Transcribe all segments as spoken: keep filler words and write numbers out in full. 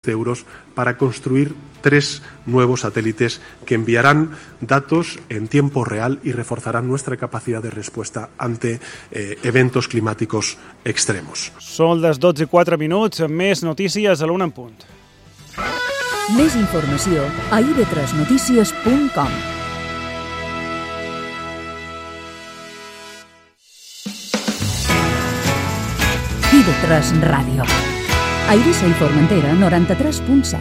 de euros para construir tres nuevos satélites que enviarán datos en tiempo real y reforzarán nuestra capacidad de respuesta ante eh, eventos climáticos extremos. Són les dotze i quatre minuts, més notícies a l'una en punt. Més informació a i ve tres notícies punt com. i ve tres Ràdio. A Eivissa i Formentera, noranta-tres punt set.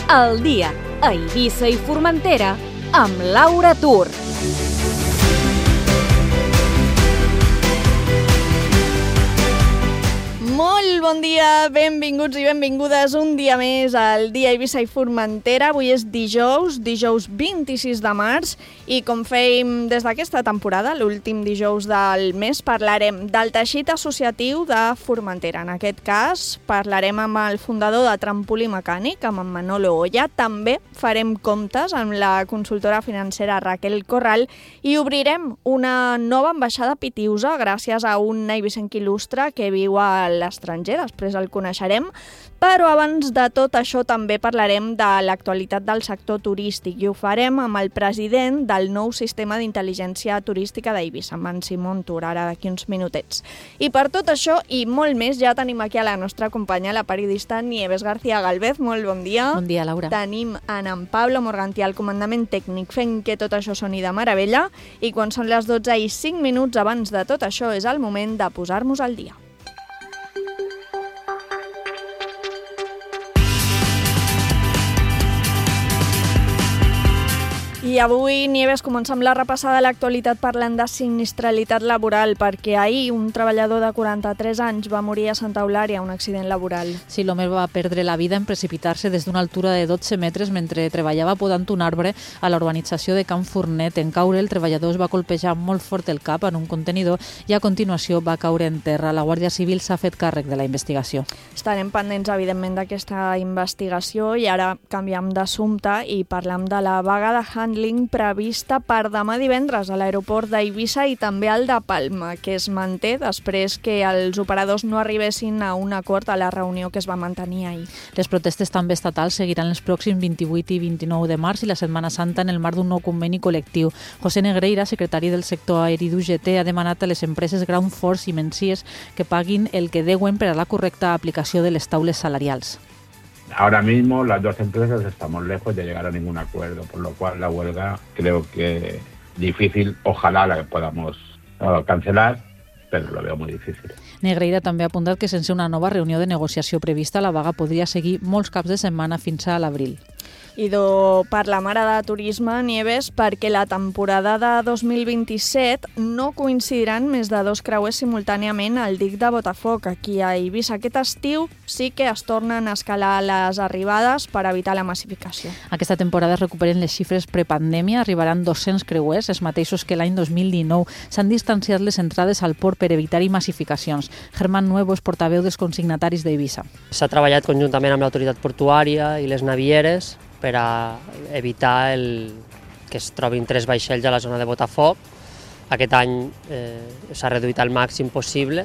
El dia a Eivissa i Formentera amb Laura Tur. Molt bon dia, benvinguts i benvingudes un dia més al dia Eivissa i Formentera. Avui és dijous, dijous vint-i-sis de març, i com fèiem des d'aquesta temporada, l'últim dijous del mes, parlarem del teixit associatiu de Formentera. En aquest cas, parlarem amb el fundador de Trampolí Mecànic, amb en Manolo Oya. També farem comptes amb la consultora financera Raquel Corral i obrirem una nova ambaixada a Pitiusa gràcies a un eivissenc il·lustre que viu a l'estranger, després el coneixerem, però abans de tot això també parlarem de l'actualitat del sector turístic i ho farem amb el president del nou sistema d'intel·ligència turística d'Eivissa, amb en Simon Tur, ara d'aquí uns minutets. I per tot això i molt més ja tenim aquí a la nostra companya, la periodista Nieves García Galvez. Molt bon dia. Bon dia, Laura. Tenim en en Pablo Morgantí al comandament tècnic fent que tot això soni de meravella, i quan són les dotze i cinc minuts abans de tot això és el moment de posar-nos al dia. I avui, Nieves, comencem la repassada de l'actualitat parlant de sinistralitat laboral, perquè ahir un treballador de quaranta-tres anys va morir a Santa Eulària a un accident laboral. Sí, l'home va perdre la vida en precipitar-se des d'una altura de dotze metres mentre treballava podant un arbre a la urbanització de Can Fornet. En caure, el treballador es va colpejar molt fort el cap en un contenidor i a continuació va caure en terra. La Guàrdia Civil s'ha fet càrrec de la investigació. Estarem pendents, evidentment, d'aquesta investigació i ara canviem d'assumpte i parlem de la vaga de handling prevista per demà divendres a l'aeroport d'Eivissa i també al de Palma, que es manté després que els operadors no arribessin a un acord a la reunió que es va mantenir ahir. Les protestes també estatals seguiran els pròxims vint-i-vuit i vint-i-nou de març i la Setmana Santa en el marc d'un nou conveni col·lectiu. José Negreira, secretari del sector aeri d'U G T, ha demanat a les empreses Ground Force i Menzies que paguin el que deuen per a la correcta aplicació de les taules salarials. Ahora mismo las dos empresas estamos lejos de llegar a ningún acuerdo, por lo cual la huelga creo que difícil, ojalá la podamos uh, cancelar, però lo veo muy difícil. Negreira també ha apuntat que sense una nova reunió de negociació prevista la vaga podria seguir molts caps de setmana fins a l'abril. I do per la mare de turisme, Nieves, perquè la temporada de dos mil vint-i-set no coincidiran més de dos creuers simultàniament al dic de Botafoc. Aquí a Eivissa aquest estiu sí que es tornen a escalar les arribades per evitar la massificació. Aquesta temporada es recuperen les xifres prepandèmia, arribaran dos-cents creuers, els mateixos que l'any dos mil dinou. S'han distanciat les entrades al port per evitar-hi massificacions. Germán Nuevo és portaveu dels consignataris d'Eivissa. S'ha treballat conjuntament amb l'autoritat portuària i les navieres per a evitar el, que es trobin tres vaixells a la zona de Botafoc. Aquest any eh, s'ha reduït al màxim possible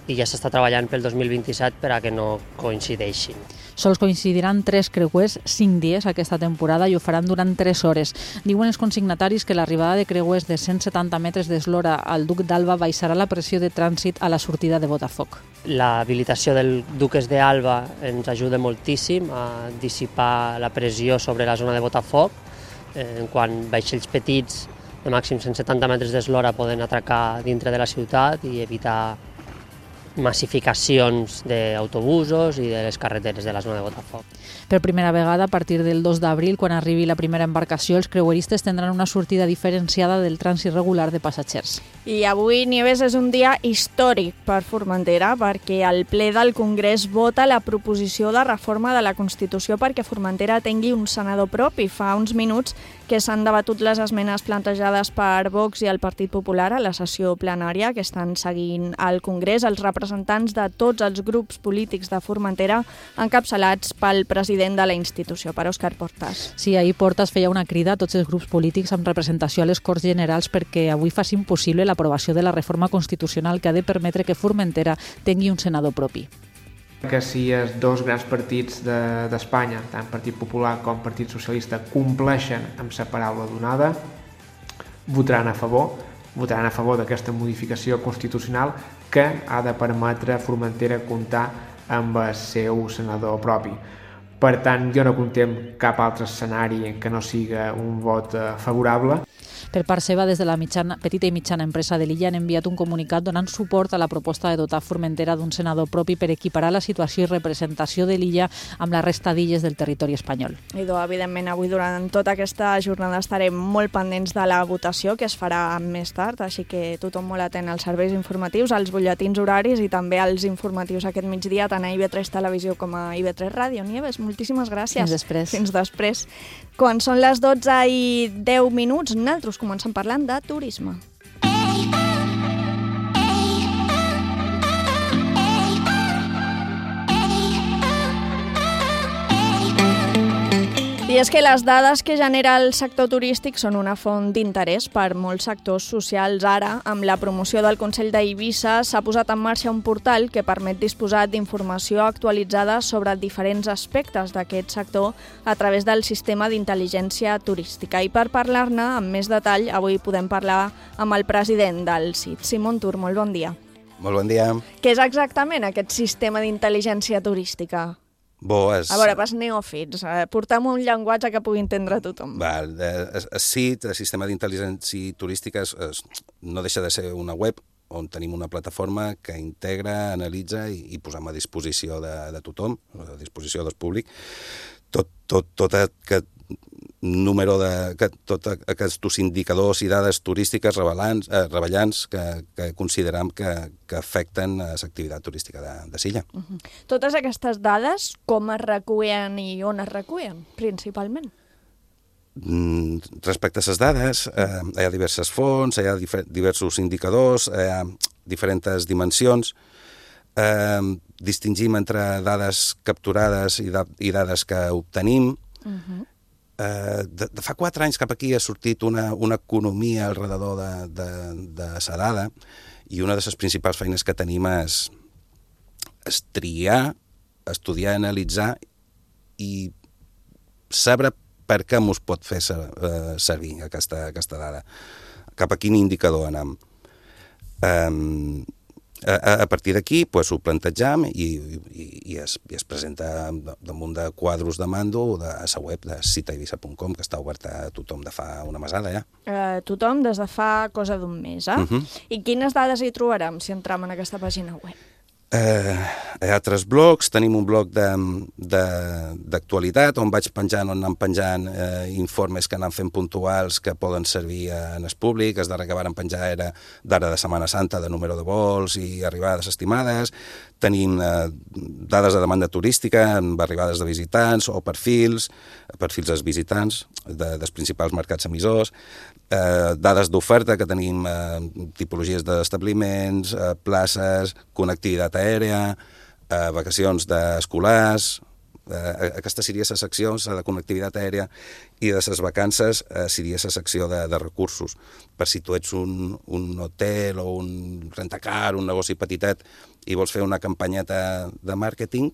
i ja s'està treballant pel dos mil vint-i-set per a que no coincideixin. Sols coincidiran tres creuers cinc dies aquesta temporada i ho faran durant tres hores. Diuen els consignataris que l'arribada de creuers de cent setanta metres d'eslora al Duc d'Alba baixarà la pressió de trànsit a la sortida de Botafoc. L'habilitació del Duques d'Alba ens ajuda moltíssim a dissipar la pressió sobre la zona de Botafoc, eh, quan vaixells petits de màxim cent setanta metres d'eslora poden atracar dintre de la ciutat i evitar massificacions d'autobusos i de les carreteres de la zona de Botafoc. Per primera vegada, a partir del dos d'abril, quan arribi la primera embarcació, els creueristes tindran una sortida diferenciada del trànsit regular de passatgers. I avui, Nieves, és un dia històric per Formentera, perquè el ple del Congrés vota la proposició de reforma de la Constitució perquè Formentera tingui un senador propi. Fa uns minuts que s'han debatut les esmenes plantejades per Vox i el Partit Popular a la sessió plenària que estan seguint al Congrés. Els representants representants de tots els grups polítics de Formentera encapçalats pel president de la institució, per Òscar Portas. Sí, ahir Portas feia una crida a tots els grups polítics amb representació a les Corts Generals perquè avui facin possible l'aprovació de la reforma constitucional que ha de permetre que Formentera tingui un senador propi. Que si els dos grans partits d'Espanya, de, tant Partit Popular com Partit Socialista, compleixen amb la paraula donada, votaran a favor, votaran a favor d'aquesta modificació constitucional que ha de permetre a Formentera comptar amb el seu senador propi. Per tant, jo no contem cap altre escenari que no siga un vot favorable. Per part seva, des de la mitjana, petita i mitjana empresa de l'illa han enviat un comunicat donant suport a la proposta de dotar Formentera d'un senador propi per equiparar la situació i representació de l'illa amb la resta d'illes del territori espanyol. I doncs, evidentment, avui durant tota aquesta jornada estarem molt pendents de la votació, que es farà més tard, així que tothom molt atent als serveis informatius, als butlletins horaris i també als informatius aquest migdia, tant a I V tres Televisió com a I V tres Ràdio. Nieves, moltíssimes gràcies. Fins després. Fins després. Quan són les dotze i deu minuts, nosaltres comencem parlant de turisme. I és que les dades que genera el sector turístic són una font d'interès per molts sectors socials. Ara, amb la promoció del Consell d'Eivissa, s'ha posat en marxa un portal que permet disposar d'informació actualitzada sobre diferents aspectes d'aquest sector a través del sistema d'intel·ligència turística. I per parlar-ne amb més detall, avui podem parlar amb el president del C I T, Simon Tur. Molt bon dia. Molt bon dia. Què és exactament aquest sistema d'intel·ligència turística? Bo, és... A veure, pas neòfits, portem un llenguatge que pugui entendre tothom. Val, el C I T, el Sistema d'Intel·ligència Turística, es, es, no deixa de ser una web on tenim una plataforma que integra, analitza i, i posem a disposició de, de tothom, a disposició del públic, tot, tot, tot aquest número de... Que, tot aquests indicadors i dades turístiques rellevants, eh, rellevants que, que considerem que, que afecten l'activitat turística de, de Silla. Uh-huh. Totes aquestes dades, com es recullen i on es recullen, principalment? Mm, respecte a les dades, eh, hi ha diverses fonts, hi ha difer- diversos indicadors, hi ha diferents dimensions. Eh, distingim entre dades capturades i, da- i dades que obtenim. Uh-huh. Uh, de, de fa quatre anys cap aquí ha sortit una, una economia al redador de, de, de la dada i una de les principals feines que tenim és, és triar, estudiar, analitzar i saber per què mos pot fer ser, uh, servir aquesta, aquesta dada. Cap a quin indicador anem. Um, A, a partir d'aquí pues, ho plantejam i, i, i, es, i es presenta damunt de quadros de mando de la web de cita eivissa punt com, que està oberta a tothom de fa una mesada ja. Uh, tothom des de fa cosa d'un mes, eh? Uh-huh. I quines dades hi trobarem si entrem en aquesta pàgina web? Eh, hi ha altres blogs, tenim un blog d'actualitat on vaig penjant, on anem penjant eh, informes que anem fent puntuals que poden servir en el públic. El darrer que vàrem penjar era d'ara de Setmana Santa, de número de vols i arribades estimades. Tenim eh, dades de demanda turística amb arribades de visitants o perfils, perfils dels visitants de, dels principals mercats emissors. Eh, dades d'oferta que tenim eh, tipologies d'establiments, eh, places, connectivitat aèria, eh, vacacions d'escolars. Eh, aquesta seria la secció de connectivitat aèria i de les vacances eh, seria la secció de, de recursos. Per si tu ets un, un hotel o un rentacar, un negoci petitet i vols fer una campanyeta de màrqueting,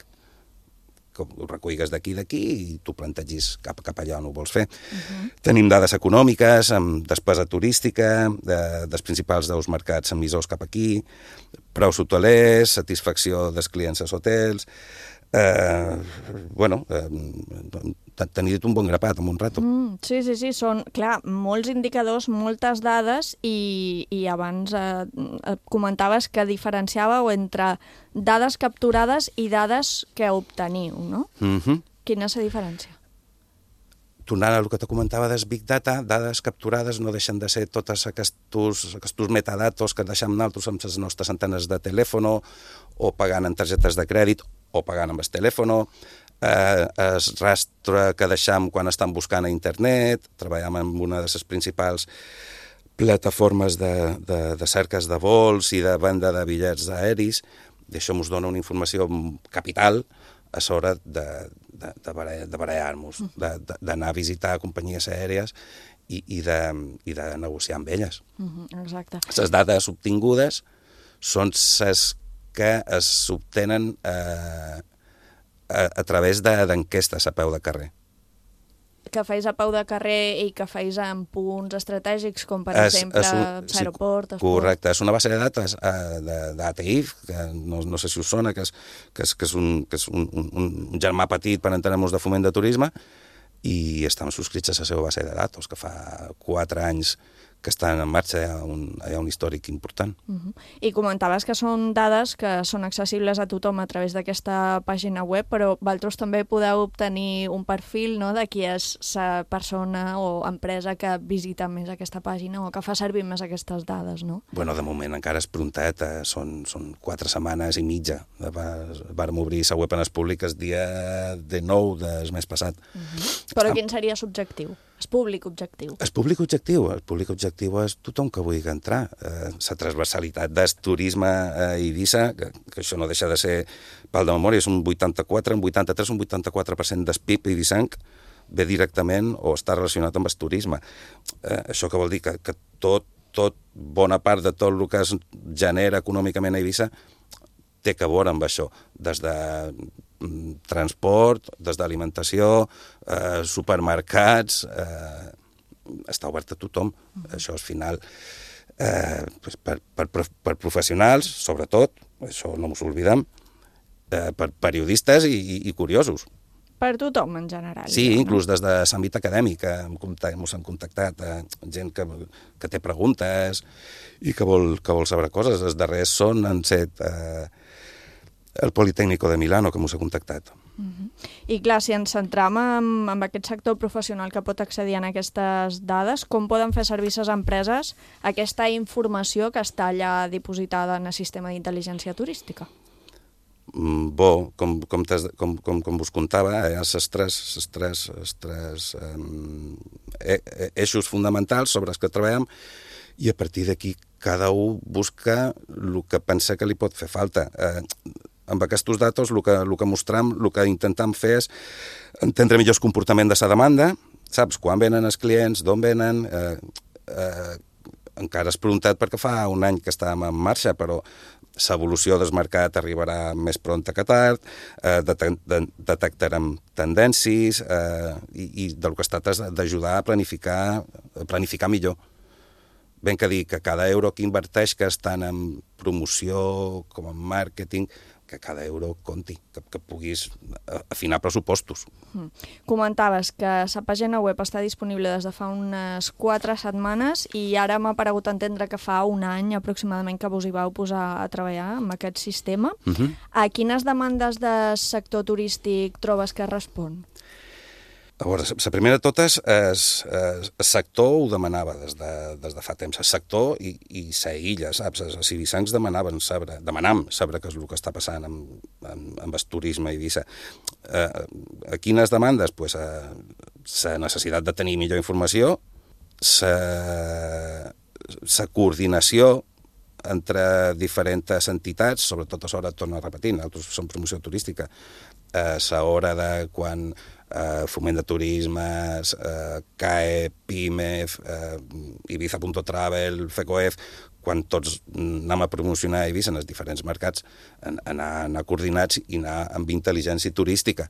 que ho recuigues d'aquí i d'aquí i tu plantegis cap, cap allà on ho vols fer. Uh-huh. Tenim dades econòmiques, amb despesa turística, de, dels principals dels mercats emissors cap aquí, preus hotelers, satisfacció dels clients als hotels. Eh, bueno, eh, t'han dit un bon grapat en un rato. Mm, sí, sí, sí, són, clar, molts indicadors, moltes dades i, i abans eh, comentaves que diferenciàveu entre dades capturades i dades que obteniu, no? Mm-hmm. Quina és la diferència? Tornant al que te comentava dels Big Data, dades capturades no deixen de ser tots aquests, aquests metadatos que deixem nosaltres amb les nostres antenes de telèfon o pagant en targetes de crèdit o pagant amb el telèfon, eh, el rastre que deixem quan estan buscant a internet, treballem amb una de les principals plataformes de, de, de cerques de vols i de venda de bitllets aeris, I això ens dona una informació capital a l'hora de, de, de, barallar, de barallar-nos, d'anar a visitar companyies aèries i, i, de, i de negociar amb elles. Uh-huh, exacte. Les dades obtingudes són les que s'obtenen eh, a, a través d'enquestes a peu de carrer. Que feis a peu de carrer i que feis en punts estratègics, com per es, exemple l'aeroport. Sí, correcte, és una base de dades uh, d'A T I F, que no, no sé si us sona, que és, que és, que és, un, que és un, un, un germà petit per entenem-nos de foment de turisme, i estem subscrits a la seva base de dades, que fa quatre anys que estan en marxa, hi ha un, hi ha un històric important. Uh-huh. I comentaves que són dades que són accessibles a tothom a través d'aquesta pàgina web, però vosaltres també podeu obtenir un perfil, no?, de qui és la persona o empresa que visita més aquesta pàgina o que fa servir més aquestes dades, no? Bueno, de moment encara és prontet, eh, són, són quatre setmanes i mitja. Vàrem obrir la web en el públic el dia de nou del mes passat. Uh-huh. Però quin seria l'objectiu? El públic objectiu. El públic objectiu. El públic objectiu és tothom que vulgui entrar. Eh, la transversalitat del turisme a Eivissa, que, que això no deixa de ser pal de memòria, és un vuitanta-quatre, un vuitanta-tres, un vuitanta-quatre per cent del P I B eivissenc ve directament o està relacionat amb el turisme. Eh, això que vol dir que, que tot, tot, bona part de tot el que es genera econòmicament a Eivissa té que veure amb això, des de transport, des d'alimentació, eh, supermercats, eh, està obert a tothom. Uh-huh. Això al final, eh, per, per, per professionals, sobretot, això no ens oblidem, eh, per periodistes i, i, i curiosos. Per tothom, en general. Sí, ja, inclús des de l'àmbit acadèmic ens han contactat eh, gent que, que té preguntes i que vol, que vol saber coses. Els darrers són, han set eh, el Politécnico de Milano, que ens ha contactat. Uh-huh. I clar, si ens centram en, en aquest sector professional que pot accedir a aquestes dades, com poden fer servir les empreses aquesta informació que està allà dipositada en el sistema d'intel·ligència turística? Bo, com, com, com, com, com us contava, hi ha els tres, els tres, els tres um, eixos fonamentals sobre els que treballem, i a partir d'aquí cada un busca el que pensa que li pot fer falta. Eh, amb aquests datos el que, el que mostrem, el que intentem fer és entendre millor el comportament de la demanda, saps, quan venen els clients, d'on venen, eh, eh, encara és preguntat perquè fa un any que estàvem en marxa, però l'evolució del mercat arribarà més pronta que tard, eh, detectarem tendències eh, i, i del que es tracta és d'ajudar a planificar, a planificar millor. Ben que dir que cada euro que inverteix tant en promoció com en màrqueting, que cada euro compti, que, que puguis afinar pressupostos. Mm. Comentaves que la pàgina web està disponible des de fa unes quatre setmanes i ara m'ha paregut entendre que fa un any aproximadament que vos hi vau posar a treballar amb aquest sistema. Uh-huh. A quines demandes del sector turístic trobes que respon? A veure, la primera de totes, el sector ho demanava des de, des de fa temps. El sector i, i la illa, saps? Els eivissencs demanaven saber, demanam saber què és el que està passant amb, amb, amb el turisme a Eivissa. Eh, a quines demandes? Pues, la necessitat de tenir millor informació, la coordinació entre diferents entitats, sobretot a l'hora, torno a repetir, nosaltres som promoció turística, a l'hora de quan eh, Foment de Turisme, eh, C A E, PIMEF, eh, Ibiza punto travel, FECOEF, quan tots anem a promocionar Eivissa en els diferents mercats, anar, anar coordinats i anar amb intel·ligència turística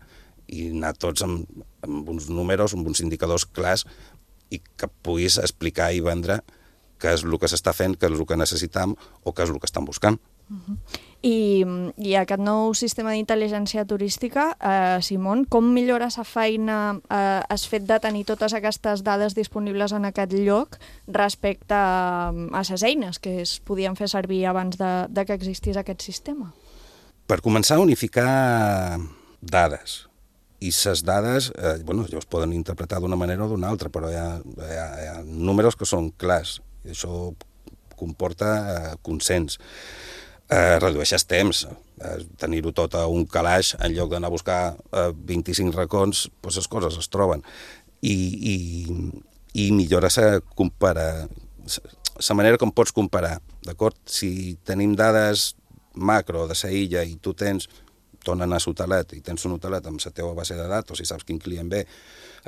i anar tots amb, amb uns números, amb uns indicadors clars i que puguis explicar i vendre què és el que s'està fent, què és el que necessitam o què és el que estan buscant. Uh-huh. I, I aquest nou sistema d'intel·ligència turística, eh, Simon, com millora la feina eh, el fet de tenir totes aquestes dades disponibles en aquest lloc respecte a, a les eines que es podien fer servir abans de, de que existís aquest sistema? Per començar a unificar dades. I les dades, eh, bueno, ja es poden interpretar d'una manera o d'una altra, però hi ha, hi ha, hi ha números que són clars, i això comporta eh, consens. Eh, redueixes temps, eh, tenir-ho tot a un calaix en lloc d'anar a buscar eh, vint-i-cinc racons, doncs les coses es troben. I, i, i millora la compara... la manera com pots comparar, d'acord? Si tenim dades macro de la illa i tu tens, tornen a l'hotelet i tens un hotelet amb la teva base de datos i saps quin client ve,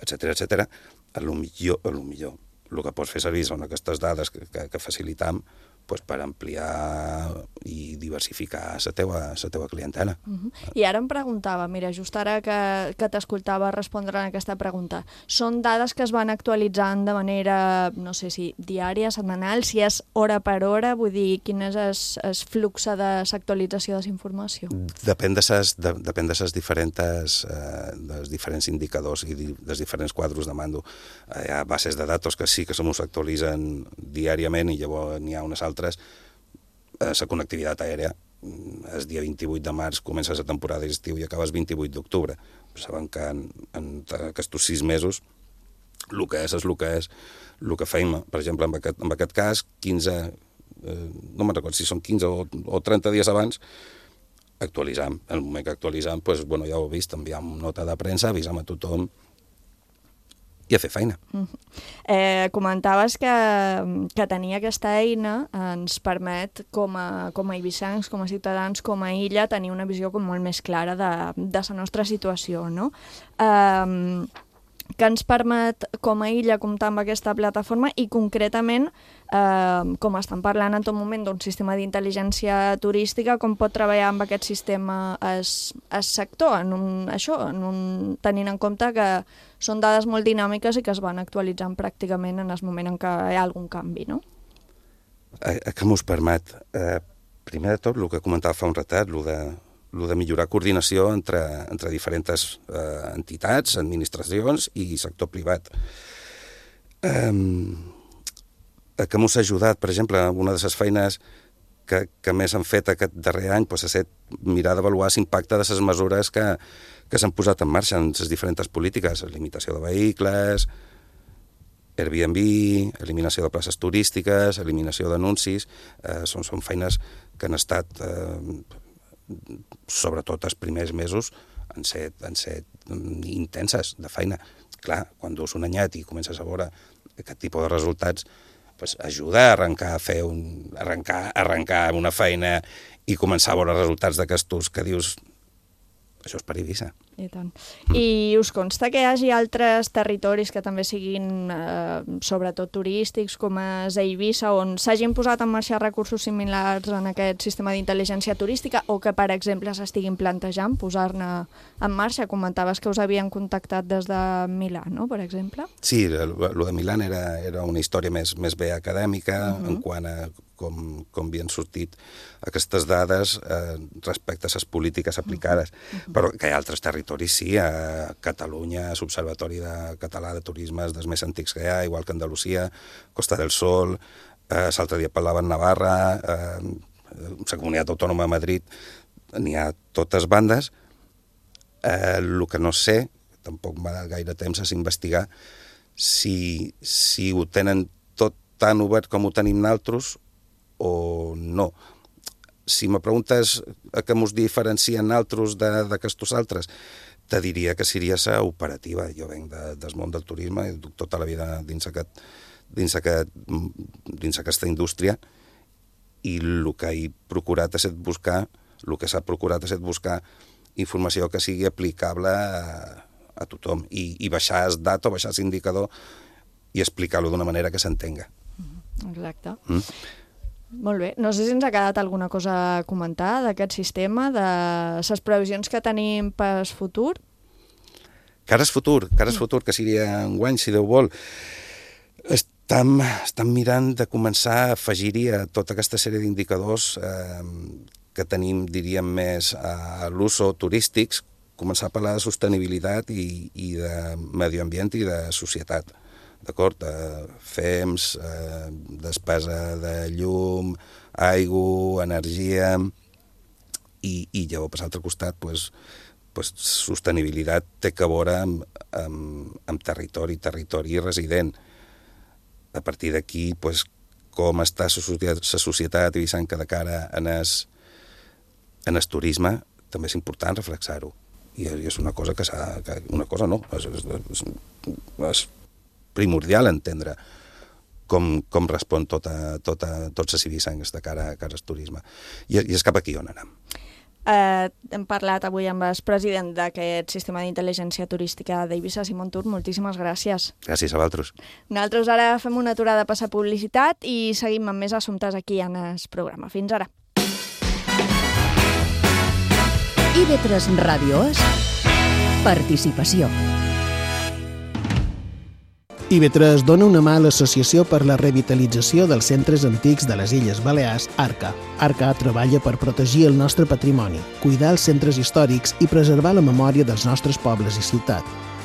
etcètera, etcètera, a lo millor, a lo millor, el que pots fer servir són aquestes dades que, que, que facilitam pues, per ampliar i diversificar la teva, la teva clientela. Uh-huh. I ara em preguntava, mira, just ara que, que t'escoltava respondre a aquesta pregunta, són dades que es van actualitzant de manera, no sé si diària, setmanal, si és hora per hora, vull dir, quin és el flux de l'actualització de la informació? Depèn de ses, de, depèn de ses diferents, eh, dels diferents indicadors i di, dels diferents quadros de mando. Eh, hi ha bases de datos que sí que se mos actualitzen diàriament i llavors n'hi ha unes altres. La connectivitat aèria, el dia vint-i-vuit de març comença la temporada d'estiu i acaba el vint-i-vuit d'octubre. Saben que en, en aquests sis mesos el que és és el que és. El que feim, per exemple, en aquest, en aquest cas, quinze, eh, no me'n recordo si són quinze o, o trenta dies abans, actualitzam. En el moment que actualitzam, pues, bueno, ja ho he vist, enviam nota de premsa, avisam a tothom i a fer feina. Uh-huh. eh, comentaves que, que tenir aquesta eina ens permet, com a, com a eivissencs, com a ciutadans, com a illa, tenir una visió com molt més clara de, de la nostra situació, no? Eh, que ens permet, com a illa, comptar amb aquesta plataforma i, concretament, eh, com estan parlant en tot moment d'un sistema d'intel·ligència turística, com pot treballar amb aquest sistema el sector, en un, això, en un, tenint en compte que són dades molt dinàmiques i que es van actualitzant pràcticament en el moment en què hi ha algun canvi, no? A, a què mos permet? Eh, primer de tot, el que comentava fa un ratet, el de, el de millorar coordinació entre, entre diferents eh, entitats, administracions i sector privat. Eh, a què mos ha ajudat, per exemple, una de les feines que, que més han fet aquest darrer any pues, ha estat mirar d'avaluar l'impacte de les mesures que, que s'han posat en marxa en les diferents polítiques, limitació de vehicles, Airbnb, eliminació de places turístiques, eliminació d'anuncis, eh, són, són feines que han estat, eh, sobretot els primers mesos, han set, han set intenses de feina. Clar, quan dus un anyet i comences a veure aquest tipus de resultats, pues, ajuda a arrencar a fer un, arrencar, arrencar una feina i començar a veure resultats d'aquestos que dius això és per Eivissa. I tant. I us consta que hi hagi altres territoris que també siguin eh, sobretot turístics, com és Eivissa, on s'hagin posat en marxa recursos similars en aquest sistema d'intel·ligència turística o que, per exemple, s'estiguin plantejant posar-ne en marxa? Comentaves que us havien contactat des de Milà, no?, per exemple? Sí, el de Milà era, era una història més, més bé acadèmica uh-huh. en quant a com, com havien sortit aquestes dades eh, respecte a les polítiques aplicades. Uh-huh. Però que hi ha altres territoris, sí, a Catalunya, l'Observatori de Català de Turisme, dels més antics que hi ha, igual que Andalusia, Costa del Sol, eh, l'altre dia parlaven Navarra, eh, la Comunitat Autònoma de Madrid, n'hi ha totes bandes. Eh, el que no sé, tampoc m'ha dat gaire temps, és investigar si, si ho tenen tot tan obert com ho tenim nosaltres o no. Si me preguntes a què mos diferencien altres d'aquestos altres, te diria que seria la operativa. Jo venc de, del món del turisme i duc tota la vida dins, aquest, dins, aquest, dins aquesta indústria i el que he procurat és buscar, el que s'ha procurat és buscar informació que sigui aplicable a, a tothom i, i baixar el dato, baixar l'indicador i explicar-lo d'una manera que s'entenga. Exacte. Mm? Molt bé. No sé si ens ha quedat alguna cosa a comentar d'aquest sistema, de les previsions que tenim per al futur. Cara al futur, cara al futur, que seria enguany, si Déu vol. Estem, estem mirant de començar a afegir-hi a tota aquesta sèrie d'indicadors eh, que tenim, diríem, més a l'uso turístics, començar a parlar de sostenibilitat i, i de medi ambient i de societat. D'acord? Eh, F E M S, eh, despesa de llum, aigua, energia, i, i llavors, per l'altre costat, pues, pues, sostenibilitat té que veure amb, amb, amb territori, territori resident. A partir d'aquí, pues, com està la societat, la societat eivissenca de cara en el, en el turisme, també és important reflexar-ho. I és una cosa que s'ha... Una cosa no, és, és, és, és primordial entendre com, com respon tota, tota, tots els civissancs de cara, cara al turisme. I, I és cap aquí on anem. Eh, hem parlat avui amb el president d'aquest sistema d'intel·ligència turística d'Eivissa, Simon Tur. Moltíssimes gràcies. Gràcies a vosaltres. Nosaltres ara fem una aturada a passar publicitat i seguim amb més assumptes aquí en el programa. Fins ara. I V tres Ràdio és participació. I V tres dona una mà a l'Associació per la Revitalització dels Centres Antics de les Illes Balears, ARCA. ARCA treballa per protegir el nostre patrimoni, cuidar els centres històrics i preservar la memòria dels nostres pobles i ciutat.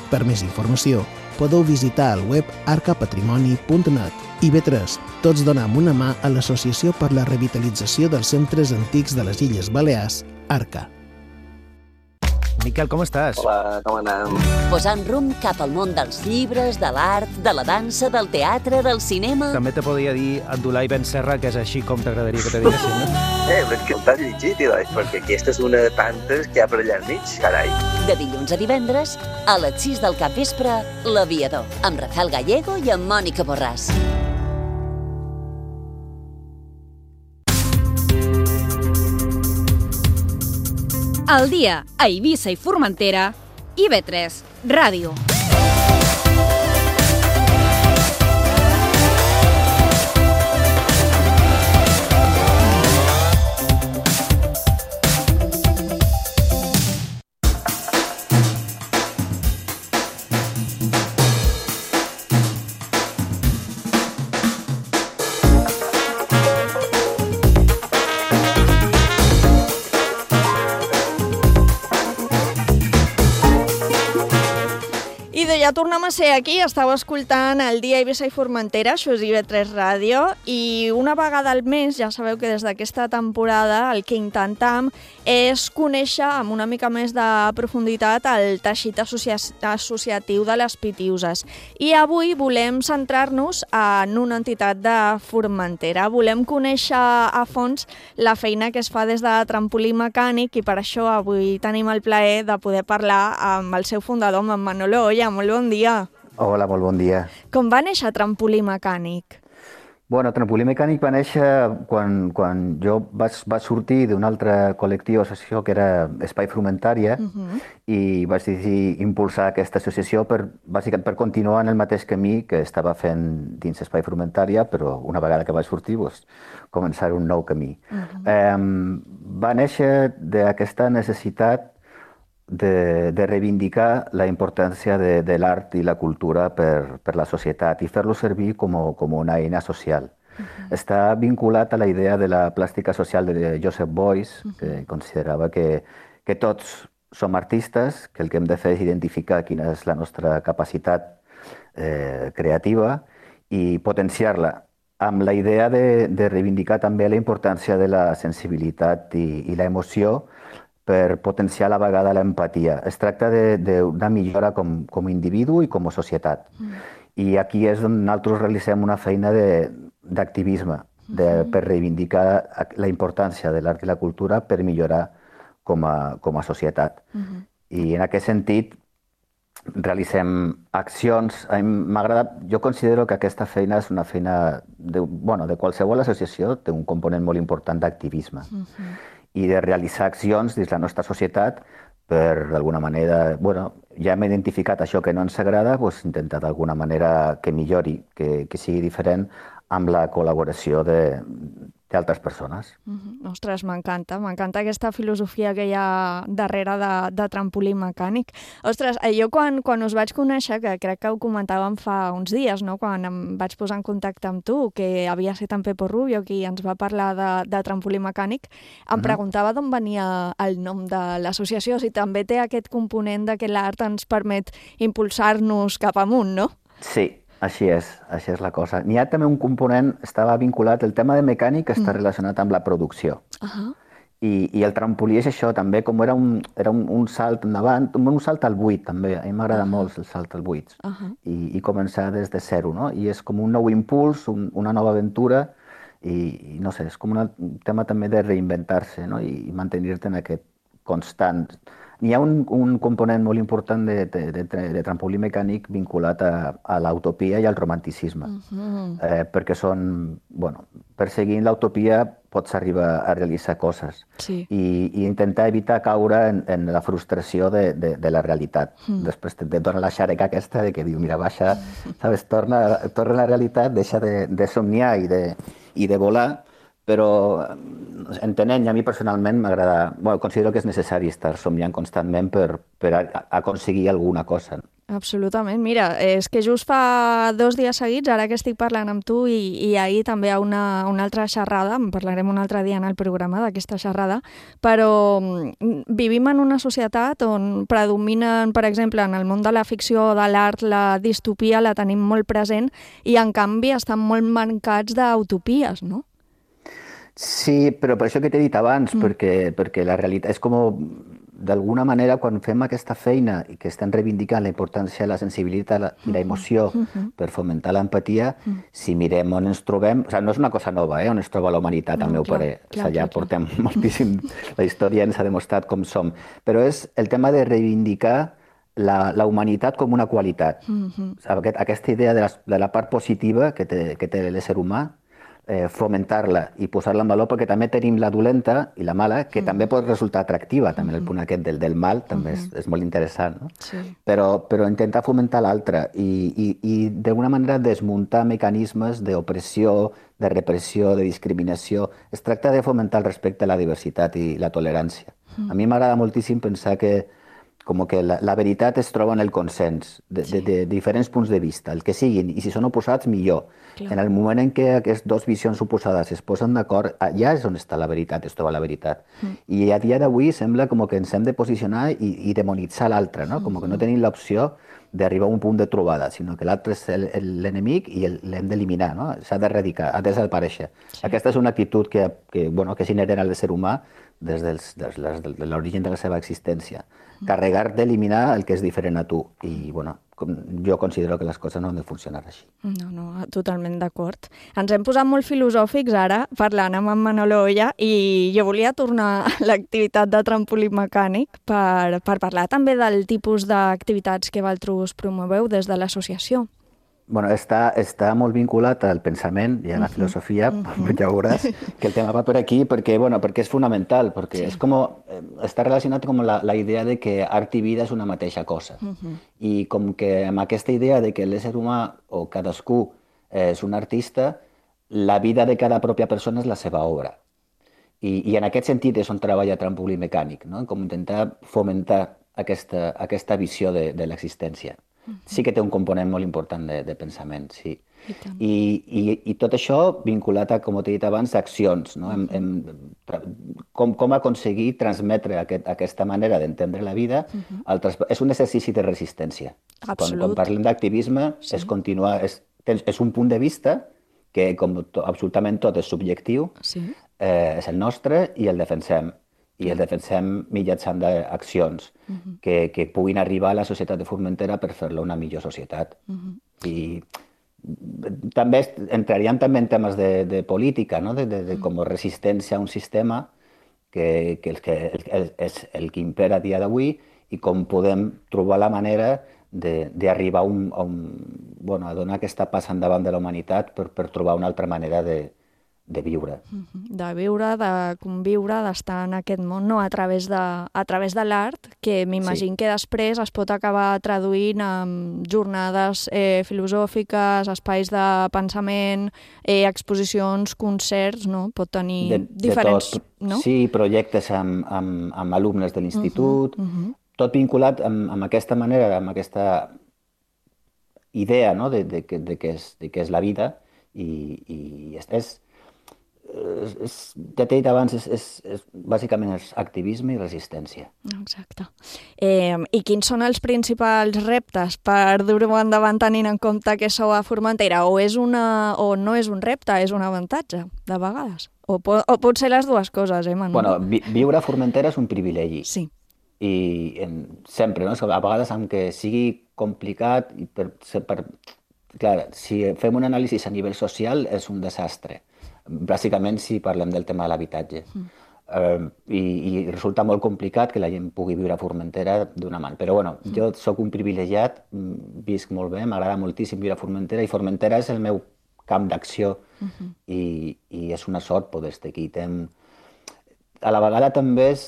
Per més informació, podeu visitar el web arca patrimoni punt net. I V tres, tots donem una mà a l'Associació per la Revitalització dels Centres Antics de les Illes Balears, ARCA. Miquel, com estàs? Hola, com anem? Posant rumb cap al món dels llibres, de l'art, de la dansa, del teatre, del cinema... També te podria dir Abdulai Ben Serra, que és així com t'agradaria que te diguessin, no? Eh, però és que t'has llegit, Ilai, perquè aquesta és una de tantes que hi ha per allà al mig, carai. De dilluns a divendres, a les sis del capvespre, L'Aviador, amb Rafael Gallego i amb Mònica Borràs. Al dia a Eivissa i Formentera, I V tres Ràdio. Ja tornem a ser aquí, estàu escoltant el dia Eivissa i Formentera, això és I V tres Ràdio, i una vegada al mes, ja sabeu que des d'aquesta temporada el que intentam és conèixer amb una mica més de profunditat el teixit associa associatiu de les Pitiuses. I avui volem centrar-nos en una entitat de Formentera. Volem conèixer a fons la feina que es fa des de Trampolí Mecànic i per això avui tenim el plaer de poder parlar amb el seu fundador, amb en Manolo Olla. Molt bon dia. Hola, molt bon dia. Com va néixer Trampolí Mecànic? Bueno, Trampolí Mecànic va néixer quan, quan jo vaig, vaig sortir d'un altre col·lectiu, associació, que era Espai Frumentària, uh-huh. i vaig decidir impulsar aquesta associació per, bàsicament per continuar en el mateix camí que estava fent dins Espai Frumentària, però una vegada que vaig sortir, doncs, començar un nou camí. Uh-huh. eh, va néixer d'aquesta necessitat De, de reivindicar la importància de, de l'art i la cultura per, per la societat i fer-lo servir com, com una eina social. Uh-huh. Està vinculat a la idea de la plàstica social de Joseph Beuys, uh-huh. que considerava que, que tots som artistes, que el que hem de fer és identificar quina és la nostra capacitat eh, creativa i potenciar-la, amb la idea de, de reivindicar també la importància de la sensibilitat i, i l'emoció per potenciar a la vegada l'empatia. Es tracta d'una millora com, com a individu i com a societat. Mm. I aquí és on nosaltres realitzem una feina d'activisme mm-hmm. per reivindicar la importància de l'art i la cultura per millorar com a, com a societat. Mm-hmm. I en aquest sentit realitzem accions. M'agrada, jo considero que aquesta feina és una feina de, bueno, de qualsevol associació, té un component molt important d'activisme. Mm-hmm. I de realitzar accions dins la nostra societat per, d'alguna manera, bueno, ja hem identificat això que no ens agrada, doncs intentar d'alguna manera que millori, que, que sigui diferent amb la col·laboració de d'altres persones. Uh-huh. Ostres, m'encanta, m'encanta aquesta filosofia que hi ha darrere de, de Trampolí Mecànic. Ostres, jo quan, quan us vaig conèixer, que crec que ho comentàvem fa uns dies, no? Quan em vaig posar en contacte amb tu, que havia estat en Pepo Rubio, qui ens va parlar de, de Trampolí Mecànic, em uh-huh. preguntava d'on venia el nom de l'associació, si també té aquest component de que l'art ens permet impulsar-nos cap amunt, no? Sí. Així és, així és la cosa. N'hi ha també un component, estava vinculat, el tema de mecànic està mm. relacionat amb la producció. Uh-huh. I, I el trampolí és això, també, com era un, era un, un salt endavant, un salt al buit, també. A mi m'agrada uh-huh. molt el salt al buit. Uh-huh. I, I començar des de zero, no? I és com un nou impuls, un, una nova aventura, i, i no sé, és com una, un tema també de reinventar-se, no? I, i mantenir-te en aquest constant. N'hi ha un, un component molt important de, de, de, de trampolí mecànic vinculat a, a l'utopia i al romanticisme, uh-huh. eh, perquè són, bueno, perseguint l'utopia pots arribar a realitzar coses sí. i, i intentar evitar caure en, en la frustració de, de, de la realitat. Mm. Després te, te dona la xareca aquesta de que diu, mira, baixa, sabes, torna, torna a la realitat, deixa de, de somniar i de, i de volar, però entenent, i a mi personalment m'agrada, bueno, considero que és necessari estar somniant constantment per, per a, a aconseguir alguna cosa. Absolutament. Mira, és que just fa dos dies seguits, ara que estic parlant amb tu, i, i ahir també hi ha una, una altra xerrada, en parlarem un altre dia en el programa d'aquesta xerrada, però vivim en una societat on predominen, per exemple, en el món de la ficció o de l'art, la distopia la tenim molt present i, en canvi, estan molt mancats d'utopies, no? Sí, però per això que t'he dit abans, mm. perquè, perquè la realitat és com, d'alguna manera, quan fem aquesta feina i que estem reivindicant la importància de la sensibilitat i l'emoció mm-hmm. per fomentar l'empatia, mm. si mirem on ens trobem, o sigui, no és una cosa nova, eh, on es troba la humanitat, no, al meu clar, parer. Clar, o sigui, ja clar, portem clar. moltíssim, la història ens ha demostrat com som, però és el tema de reivindicar la, la humanitat com una qualitat. Mm-hmm. O sigui, aquest, aquesta idea de la, de la part positiva que té, que té l'ésser humà, Eh, fomentar-la i posar-la en valor, perquè també tenim la dolenta i la mala, que mm. també pot resultar atractiva, també mm. el punt aquest del, del mal també mm -hmm. és, és molt interessant, no? Sí. Però, però intentar fomentar l'altra i, i, i d'alguna manera desmuntar mecanismes d'opressió, de repressió, de discriminació. Es tracta de fomentar el respecte a la diversitat i la tolerància. Mm. A mi m'agrada moltíssim pensar que com que la, la veritat es troba en el consens de, sí. de, de diferents punts de vista, el que siguin, i si són oposats, millor. Clar. En el moment en què aquestes dues visions oposades es posen d'acord, allà és on està la veritat, es troba la veritat. Mm. I a dia d'avui sembla com que ens hem de posicionar i, i demonitzar l'altre, no? Com que no tenim l'opció d'arribar a un punt de trobada, sinó que l'altre és l'enemic i l'hem d'eliminar, no? S'ha d'erradicar, ha de desaparèixer. Sí. Aquesta és una actitud que, que, bueno, que és inherent al ser humà des, dels, des de l'origen de la seva existència. Carregar d'eliminar el que és diferent a tu. I, bueno, com, jo considero que les coses no han de funcionar així. No, no, totalment d'acord. Ens hem posat molt filosòfics ara, parlant amb en Manolo Oya, i jo volia tornar a l'activitat de trampolí mecànic per, per parlar també del tipus d'activitats que vosaltres promoveu des de l'associació. Bueno, està, està molt vinculat al pensament i a la filosofia, uh-huh. ja veuràs que el tema va per aquí, perquè, bueno, perquè és fonamental, perquè sí. és com, està relacionat amb la, la idea de que art i vida és una mateixa cosa. Uh-huh. I com que amb aquesta idea de que l'ésser humà o cadascú és un artista, la vida de cada pròpia persona és la seva obra. I, i en aquest sentit és on treballa trampolí mecànic, no? Com intentar fomentar aquesta, aquesta visió de, de l'existència. Sí que té un component molt important de, de pensament, sí. I, I, i, i tot això vinculat a, com t'he dit abans, accions, no? Hem, hem, com, com aconseguir transmetre aquest, aquesta manera d'entendre la vida. Uh-huh. altres, és un exercici de resistència. Quan, quan parlem d'activisme, sí. és continuar, és, és un punt de vista que, com to, absolutament tot és subjectiu, sí. eh, és el nostre i el defensem. I el defensem mitjançant d'accions uh-huh. que, que puguin arribar a la societat de Formentera per fer-la una millor societat. Uh-huh. I també entraríem també en temes de, de política, no? de, de, de com resistència a un sistema que, que, el, que el, el, és el que impera a dia d'avui i com podem trobar la manera d'arribar a, un, a, un, bueno, a donar aquesta passa endavant de la humanitat per, per trobar una altra manera de de viure. De viure, de conviure, d'estar en aquest món, no? a través de, a través de l'art, que m'imagino sí. que després es pot acabar traduint en jornades eh, filosòfiques, espais de pensament, eh, exposicions, concerts, no? Pot tenir de, diferents... De tot. No? Sí, projectes amb, amb, amb alumnes de l'institut, uh-huh, uh-huh. tot vinculat amb, amb aquesta manera, amb aquesta idea, no? de, de, de, de, que és, de que és la vida i, i és... És, ja t'he dit abans, és, és, és, bàsicament és activisme i resistència. Exacte. Eh, I quins són els principals reptes per dur-ho endavant tenint en compte que sou a Formentera? O, és una, o no és un repte, és un avantatge, de vegades? O, po, o pot ser les dues coses, eh, Manu? Bueno, vi, viure a Formentera és un privilegi. Sí. I en, sempre, no? A vegades, aunque sigui complicat, i per, per, clar, si fem un anàlisi a nivell social, és un desastre. Bàsicament si parlem del tema de l'habitatge. Mm. Uh, i, i resulta molt complicat que la gent pugui viure a Formentera d'una mà. Però bueno, mm. jo sóc un privilegiat, visc molt bé, m'agrada moltíssim viure a Formentera i Formentera és el meu camp d'acció mm-hmm. i, i és una sort poder estar aquí. Tem... A la vegada també és,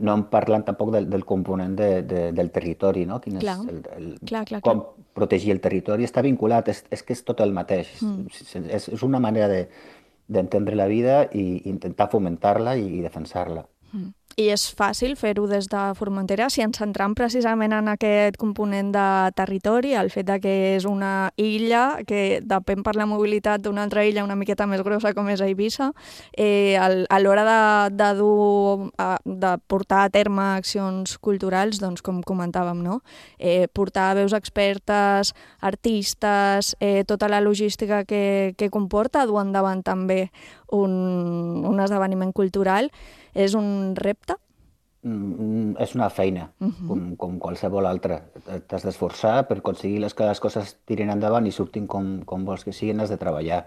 no em parlen tampoc del, del component de, de, del territori, no? Quin clar. És el, el, clar, clar, com clar. protegir el territori, està vinculat, és, és que és tot el mateix. Mm. És, és una manera de d'entendre la vida i intentar fomentar-la i defensar-la. Mm. I és fàcil fer-ho des de Formentera si ens centram precisament en aquest component de territori, el fet de que és una illa que depèn per la mobilitat d'una altra illa una miqueta més grossa com és Eivissa, eh, a l'hora de, de, dur, de portar a terme accions culturals, doncs com comentàvem, no? Eh, portar veus expertes, artistes, eh, tota la logística que, que comporta, dur endavant també un, un esdeveniment cultural, és un repte? Mm, és una feina, uh-huh. com, com qualsevol altra. T'has d'esforçar per aconseguir que les coses tirin endavant i surtin com, com vols que siguin, has de treballar.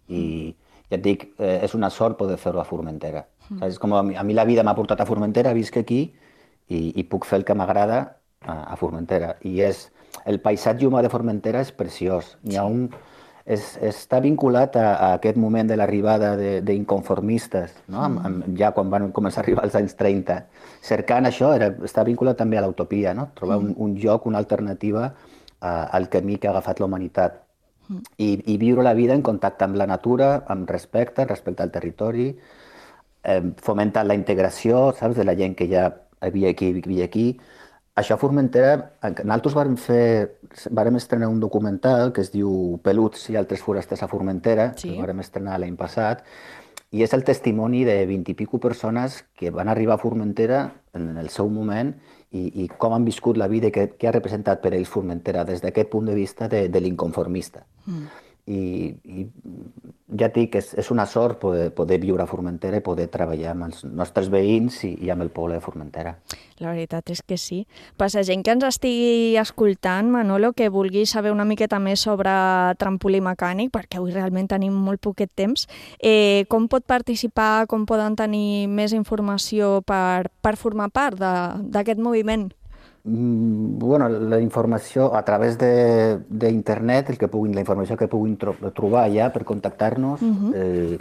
I ja et dic, eh, és una sort poder fer-ho a Formentera. Uh-huh. És com a mi, a mi la vida m'ha portat a Formentera, visc aquí i, i puc fer el que m'agrada a, a Formentera. I és, el paisatge humà de Formentera és preciós. N'hi ha un... És, està vinculat a, a aquest moment de l'arribada d'inconformistes, no? mm. amb, ja quan van començar a arribar als anys trenta. Cercant això, era, està vinculat també a l'utopia, no? Trobar mm. un, un lloc, una alternativa a, al camí que ha agafat la humanitat. Mm. I, I viure la vida en contacte amb la natura, amb respecte, respecte al territori, eh, fomentar la integració, saps, de la gent que ja havia aquí, vivia aquí. Això a Formentera, nosaltres vàrem fer, vàrem estrenar un documental que es diu Peluts i altres forasters a Formentera, sí. que vàrem estrenar l'any passat, i és el testimoni de vint i pico persones que van arribar a Formentera en el seu moment i, i com han viscut la vida i què, què ha representat per ells Formentera des d'aquest punt de vista de, de l'inconformista. Mm. I, i ja et dic, és, és una sort poder, poder viure a Formentera i poder treballar amb els nostres veïns i, i amb el poble de Formentera. La veritat és que sí. Per la gent que ens estigui escoltant, Manolo, que vulgui saber una miqueta més sobre trampolí mecànic, perquè avui realment tenim molt poquet temps, eh, com pot participar, com poden tenir més informació per, per formar part d'aquest moviment? Mm, bueno, la informació a través d'internet, el que puguin, la informació que puguin tro trobar allà per contactar-nos, uh-huh. eh,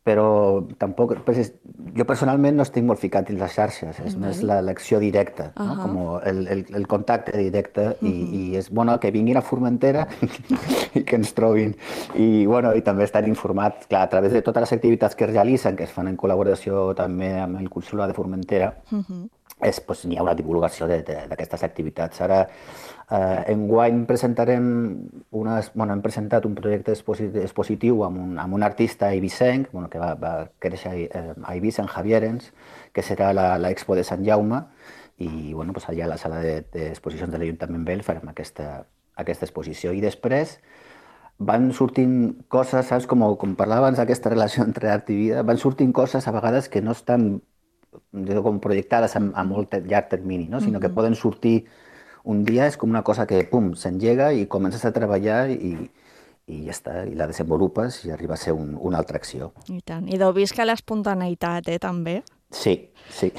però tampoc, pues, jo personalment no estic molt ficat en les xarxes, és uh-huh. més l'acció directa, uh-huh. no? Com el, el, el contacte directe uh-huh. i, i és bueno que vinguin a Formentera i que ens trobin. I, bueno, i també estar informats, clar, a través de totes les activitats que es realitzen, que es fan en col·laboració també amb el Consolat de Formentera, uh-huh. és, pues, n'hi ha una divulgació d'aquestes activitats. Ara, eh, enguany presentarem una, bueno, hem presentat un projecte expositiu amb un, amb un artista eivissenc, bueno, que va, va créixer a Eivissa, en Javierens, que serà l'Expo de Sant Jaume, i bueno, pues, allà a la sala d'exposicions de, de l'Ajuntament Vell farem aquesta, aquesta exposició. I després van sortint coses, saps, com, com parlava abans d'aquesta relació entre art i vida, van sortint coses a vegades que no estan com projectades a, a molt llarg termini, no? Sinó que poden sortir un dia, és com una cosa que pum, s'engega i comences a treballar i, i ja està, i la desenvolupes i arriba a ser un, una altra acció. I tant. I deu visca l'espontaneïtat, eh, també? Sí, sí.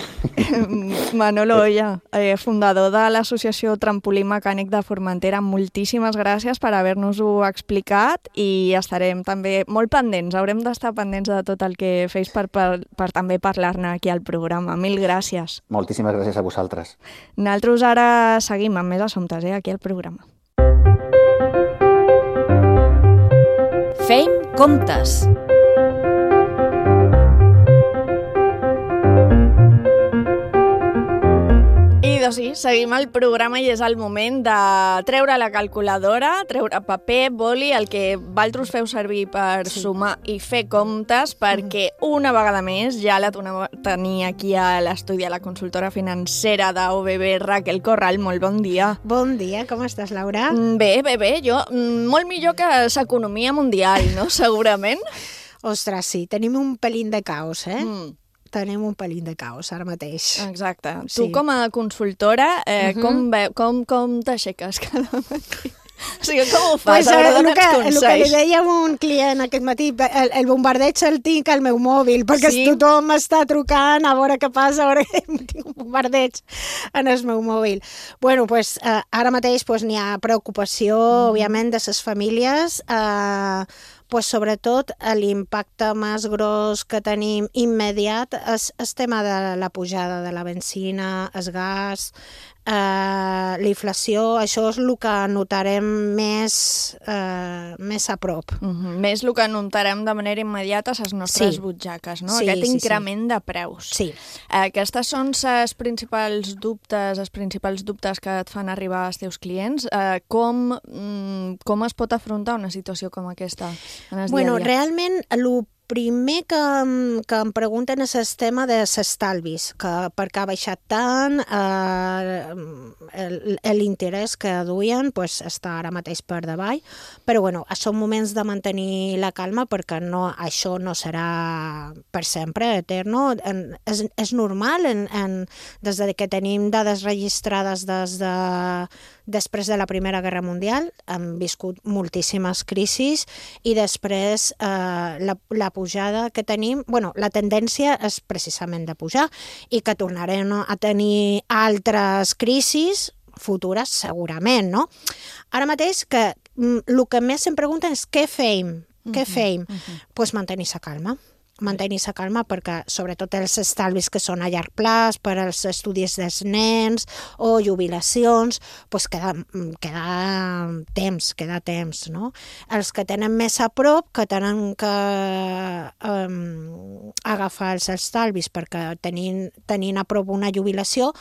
Manolo Oya, eh, fundador de l'associació Trampolí Mecànic de Formentera, moltíssimes gràcies per haver-nos-ho explicat i estarem també molt pendents, haurem d'estar pendents de tot el que feis per, per, per també parlar-ne aquí al programa. Mil gràcies. Moltíssimes gràcies a vosaltres. Nosaltres ara seguim amb més assumptes, eh, aquí al programa. Feim comptes. Doncs sí, seguim el programa i és el moment de treure la calculadora, treure paper, boli, el que vosaltres feu servir per sí. sumar i fer comptes, perquè una vegada més ja la tenia aquí a l'estudi a la consultora financera d'O B B, Raquel Corral. Molt bon dia. Bon dia, com estàs, Laura? Bé, bé, bé. Jo, molt millor que l'economia mundial, no? Segurament. Ostres, sí, tenim un pelín de caos, eh? Mm. Tenim un pelín de caos ara mateix. Exacte. Sí. Tu com a consultora, eh, uh-huh. com, ve, com, com t'aixeques cada matí? O sigui, com ho fas? Pues, a veure, el, dona'ns que, el consells. que li deia a un client aquest matí, el, el bombardeig el tinc al meu mòbil, perquè Sí? tothom m'està trucant a veure què passa, a veure que tinc un bombardeig en el meu mòbil. Bueno, pues, eh, ara mateix pues, n'hi ha preocupació, mm. òbviament, de les famílies, eh, pues, sobretot l'impacte més gros que tenim immediat és el tema de la pujada de la benzina, el gas, eh, la inflació, això és el que notarem més, eh, més a prop. Uh -huh. Més el que notarem de manera immediata a les nostres Sí. butxaques, no? Sí, Aquest sí, increment sí. de preus. Sí. Eh, aquestes són els principals dubtes, els principals dubtes que et fan arribar als teus clients. Eh, com, mm, com es pot afrontar una situació com aquesta en el Bueno, dia a dia? realment, el primer que, em- que em pregunten és el tema de l'estalvis, que per què ha baixat tant, eh, el- l'interès que duien pues, està ara mateix per davall, però bueno, són moments de mantenir la calma perquè no, això no serà per sempre, eterno. En, és, és normal, en, en, des de que tenim dades registrades des de, després de la Primera Guerra Mundial, hem viscut moltíssimes crisis i després eh, la, la pujada que tenim, bueno, la tendència és precisament de pujar i que tornarem a tenir altres crisis futures segurament, no? Ara mateix que mm, el que més em pregunten és què feim? Què feim? Doncs pues mantenir-se calma. mantenir-se calma perquè sobretot els estalvis que són a llarg plaç per als estudis dels nens o jubilacions, doncs queda, queda temps, queda temps, no? Els que tenen més a prop, que tenen que um, agafar els estalvis perquè tenint, tenint a prop una jubilació,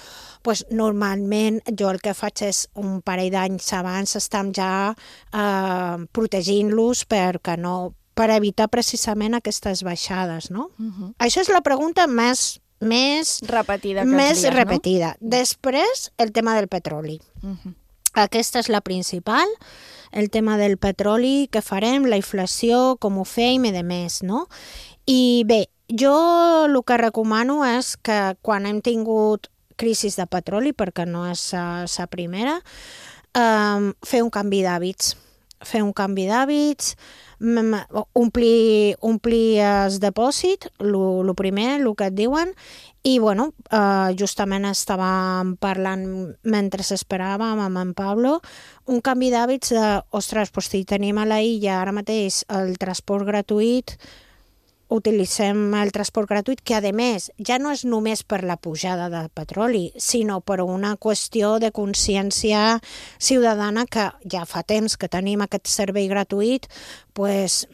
doncs normalment jo el que faig és un parell d'anys abans estem ja uh, protegint-los perquè no per evitar precisament aquestes baixades, no? Uh-huh. Això és la pregunta més, més repetida. Més dies, repetida. No? Després, el tema del petroli. Uh-huh. Aquesta és la principal, el tema del petroli, què farem, la inflació, com ho fem i de més, no? I bé, jo el que recomano és que quan hem tingut crisis de petroli, perquè no és la primera, um, fer un canvi d'hàbits. Fer un canvi d'hàbits, omplir, omplir el depòsit, el primer, el que et diuen, i bueno, eh, justament estàvem parlant mentre esperàvem amb en Pablo, un canvi d'hàbits de, ostres, doncs si tenim a la illa ara mateix el transport gratuït, utilitzem el transport gratuït, que a més ja no és només per la pujada de petroli, sinó per una qüestió de consciència ciutadana que ja fa temps que tenim aquest servei gratuït, pues,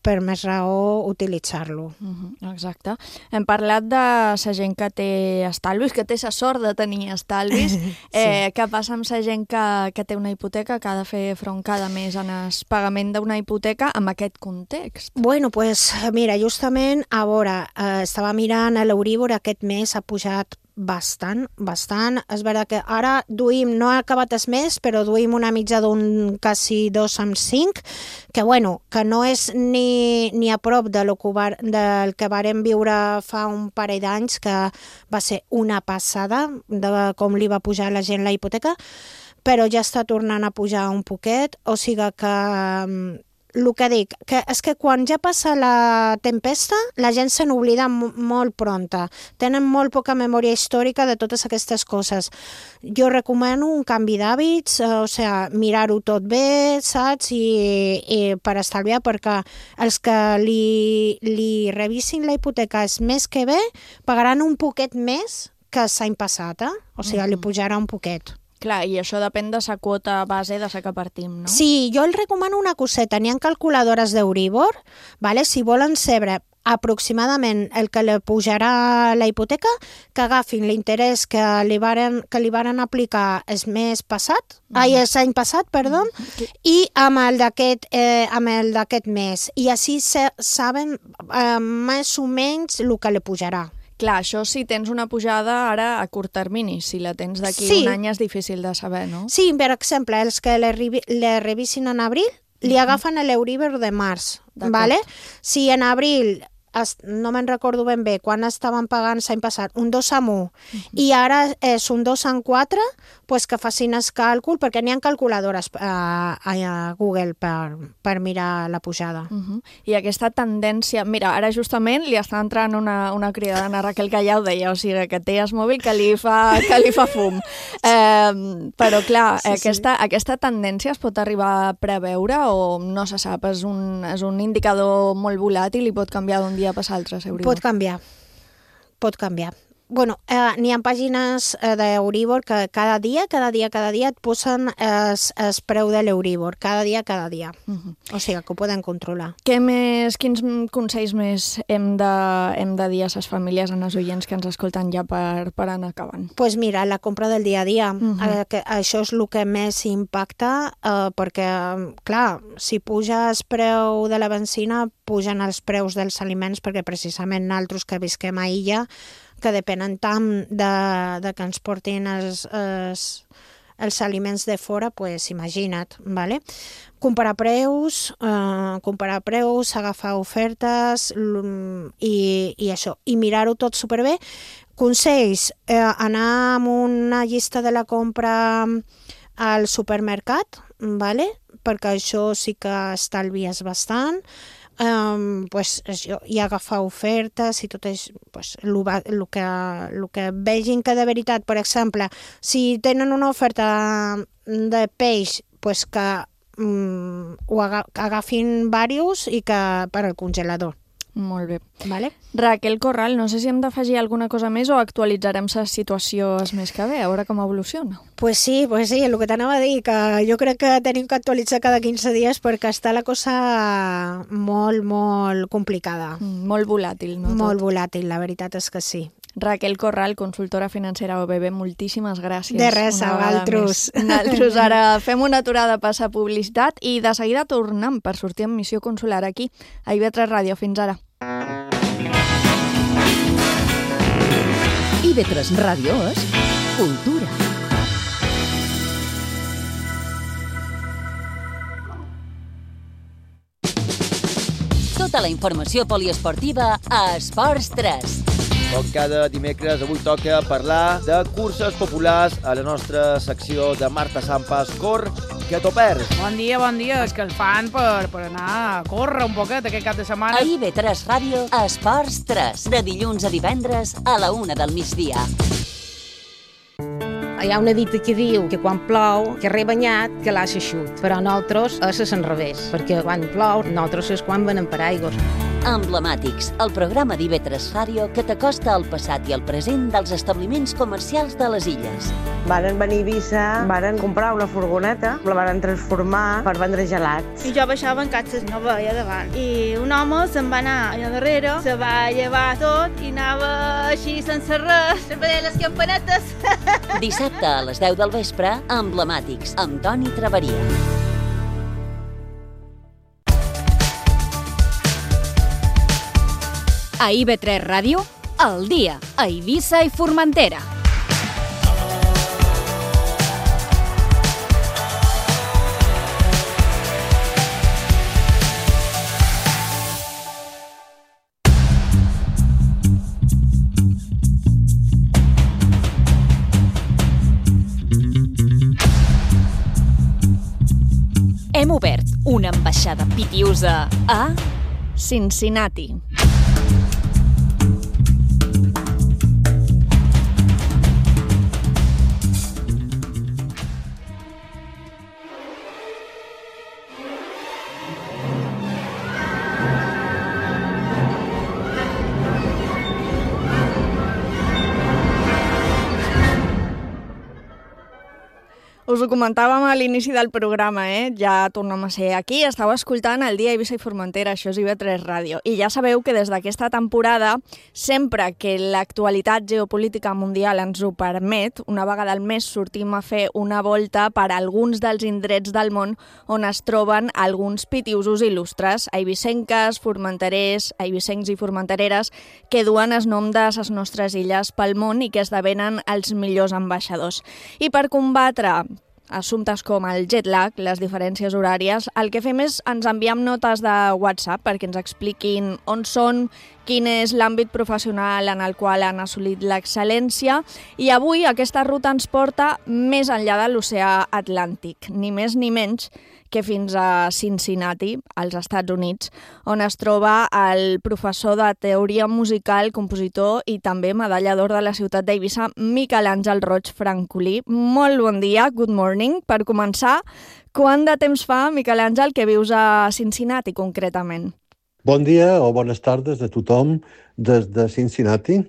per més raó utilitzar-lo. Uh-huh, exacte. Hem parlat de la gent que té estalvis, que té la sort de tenir estalvis. sí. eh, què passa amb la gent que, que té una hipoteca, que ha de fer front cada mes en el pagament d'una hipoteca amb aquest context? Bueno, pues mira, justament, a veure, eh, estava mirant l'Euríbor, aquest mes ha pujat bastant, bastant. És veritat que ara duim, no ha acabat el mes, però duim una mitja d'un quasi dos amb cinc, que bueno, que no és ni, ni a prop de lo que var, del que vàrem viure fa un parell d'anys, que va ser una passada de com li va pujar la gent la hipoteca, però ja està tornant a pujar un poquet, o sigui que el que dic, que és que quan ja passa la tempesta, la gent se n'oblida molt pronta. Tenen molt poca memòria històrica de totes aquestes coses. Jo recomano un canvi d'hàbits, eh, o sigui, mirar-ho tot bé, saps? I, i per estalviar, perquè els que li, li revisin la hipoteca és més que bé, pagaran un poquet més que l'any passat, eh? O sigui, li pujarà un poquet. Clar, i això depèn de la quota base de la que partim, no? Sí, jo el recomano una coseta. N'hi ha calculadores d'Euríbor, vale? Si volen saber aproximadament el que li pujarà la hipoteca, que agafin l'interès que li varen, que li varen aplicar el mes passat, mm. ai, l'any passat, perdó, mm. i amb el d'aquest eh, amb el d'aquest mes. I així se, saben eh, més o menys el que li pujarà. Clar, això si tens una pujada ara a curt termini, si la tens d'aquí sí. un any és difícil de saber, no? Sí, per exemple, els que le, le revisin en abril, li agafen l'Euríbor de març, vale? Si en abril es, no me'n recordo ben bé, quan estaven pagant l'any passat un dos amb un uh-huh. i ara és un dos amb quatre, pues que facin el càlcul, perquè n'hi ha calculadores a, a Google per, per mirar la pujada. Uh-huh. I aquesta tendència... Mira, ara justament li està entrant una, una cridadana, Raquel, que ja ho deia, o sigui, que té el mòbil que li fa, que li fa fum. Eh, però, clar, sí, aquesta, sí. aquesta tendència es pot arribar a preveure o no se sap? És un, és un indicador molt volàtil i pot canviar d'un dia a passar l'altre, Euribor. Pot canviar, pot canviar. Bueno, eh, n'hi ha pàgines eh, d'Euribor que cada dia, cada dia, cada dia et posen el preu de l'Euribor, cada dia, cada dia. Uh-huh. O sigui, que ho poden controlar. Què més, quins consells més hem de, hem de dir a les famílies, a les oients que ens escolten ja per, per anar acabant? Doncs pues mira, la compra del dia a dia. Uh-huh. eh, que això és el que més impacta, eh, perquè, clar, si puja el preu de la benzina, pugen els preus dels aliments, perquè precisament nosaltres que visquem a illa, que depenen tant de, de que ens portin els, els, els aliments de fora, pues imagina't, ¿vale? Comparar preus, eh, comparar preus, agafar ofertes i, i això, i mirar-ho tot superbé. Consells, eh, anar amb una llista de la compra al supermercat, ¿vale? Perquè això sí que estalvies bastant. Um, pues, això, i agafar ofertes i tot és pues, el, el, que, el que vegin que de veritat, per exemple, si tenen una oferta de peix, pues que um, ho agafin diversos i que per al congelador. Molt bé. Vale. Raquel Corral, no sé si hem d'afegir alguna cosa més o actualitzarem la situació el mes que ve, a veure com evoluciona. Pues sí, pues sí, el que t'anava a dir, que jo crec que tenim que actualitzar cada quinze dies perquè està la cosa molt, molt complicada. Mm, molt volàtil, no? Molt tot. volàtil, la veritat és que sí. Raquel Corral, consultora financera O B B, moltíssimes gràcies. De res, a vosaltres. Nosaltres ara fem una aturada per la publicitat i de seguida tornem per sortir en missió consular aquí, a I V tres Ràdio. Fins ara. I V tres Ràdio és cultura. Tota la informació poliesportiva a Esports tres. Com cada dimecres, avui toca parlar de curses populars a la nostra secció de Marta Sampas, Cor, que t'ho perds. Bon dia, bon dia. És que el fan per, per anar a córrer un poquet aquest cap de setmana. A I V tres Ràdio, Esports tres, de dilluns a divendres a la una del migdia. Hi ha una dita que diu que quan plou, que re banyat, que l'ha eixut. Però nosaltres és al revés, perquè quan plou, nosaltres és quan venem paraigües. Emblemàtics, el programa d'I V tres Ràdio que t'acosta al passat i al present dels establiments comercials de les illes. Varen venir a Eivissa, varen comprar una furgoneta, la varen transformar per vendre gelats. I jo baixava en catxes, no veia davant. I un home se'n va anar allà darrere, se va llevar tot i anava així sense res, sempre deia les campanetes. Dissabte a les deu del vespre, Emblemàtics, amb Toni Traveria. A I V tres Ràdio, al dia, a Eivissa i Formentera. Hem obert una ambaixada pitiusa a Cincinnati. Us ho comentàvem a l'inici del programa, eh? Ja tornem a ser aquí. Estàu escoltant el dia a Eivissa i Formentera, això és I V tres Ràdio. I ja sabeu que des d'aquesta temporada, sempre que l'actualitat geopolítica mundial ens ho permet, una vegada al mes sortim a fer una volta per a alguns dels indrets del món on es troben alguns pitiusos il·lustres, eivissenques, formenterers, eivissencs i formentereres, que duen el nom de les nostres illes pel món i que esdevenen els millors ambaixadors. I per combatre assumptes com el jet lag, les diferències horàries, el que fem és ens enviem notes de WhatsApp perquè ens expliquin on són, quin és l'àmbit professional en el qual han assolit l'excel·lència, i avui aquesta ruta ens porta més enllà de l'oceà Atlàntic, ni més ni menys que fins a Cincinnati, als Estats Units, on es troba el professor de teoria musical, compositor i també medalla d'or de la ciutat d'Eivissa, Miquel Àngel Roig Francolí. Molt bon dia, good morning. Per començar, quant de temps fa, Miquel Àngel, que vius a Cincinnati concretament? Bon dia o bones tardes a tothom des de Cincinnati.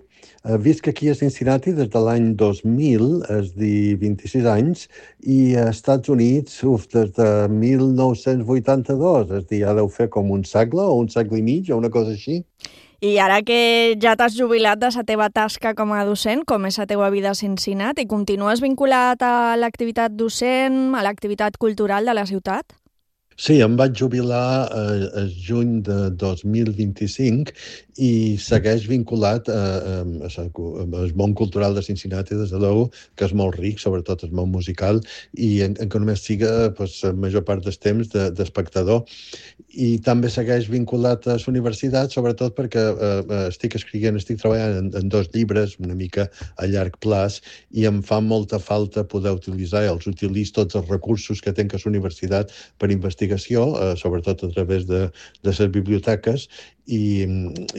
Visc aquí a Cincinnati des de l'any dos mil, és dir, vint-i-sis anys, i a Estats Units, uf, des de mil nou-cents vuitanta-dos, és dir, ja deu fer com un segle o un segle i mig o una cosa així. I ara que ja t'has jubilat de la teva tasca com a docent, com és la teva vida a Cincinnati, continues vinculat a l'activitat docent, a l'activitat cultural de la ciutat? Sí, em vaig jubilar eh, el juny de dos mil vint-i-cinc i segueix vinculat a, a, al món cultural de Cincinnati, des de l'U, que és molt ric, sobretot el món musical, i en, en que només siga pues, la major part del temps d'espectador. I també segueix vinculat a la universitat, sobretot perquè eh, estic escrivint, estic treballant en, en dos llibres, una mica a llarg plaç, i em fa molta falta poder utilitzar, i els utilitzo tots els recursos que tenc a la universitat per investigació, eh, sobretot a través de, de les biblioteques, i,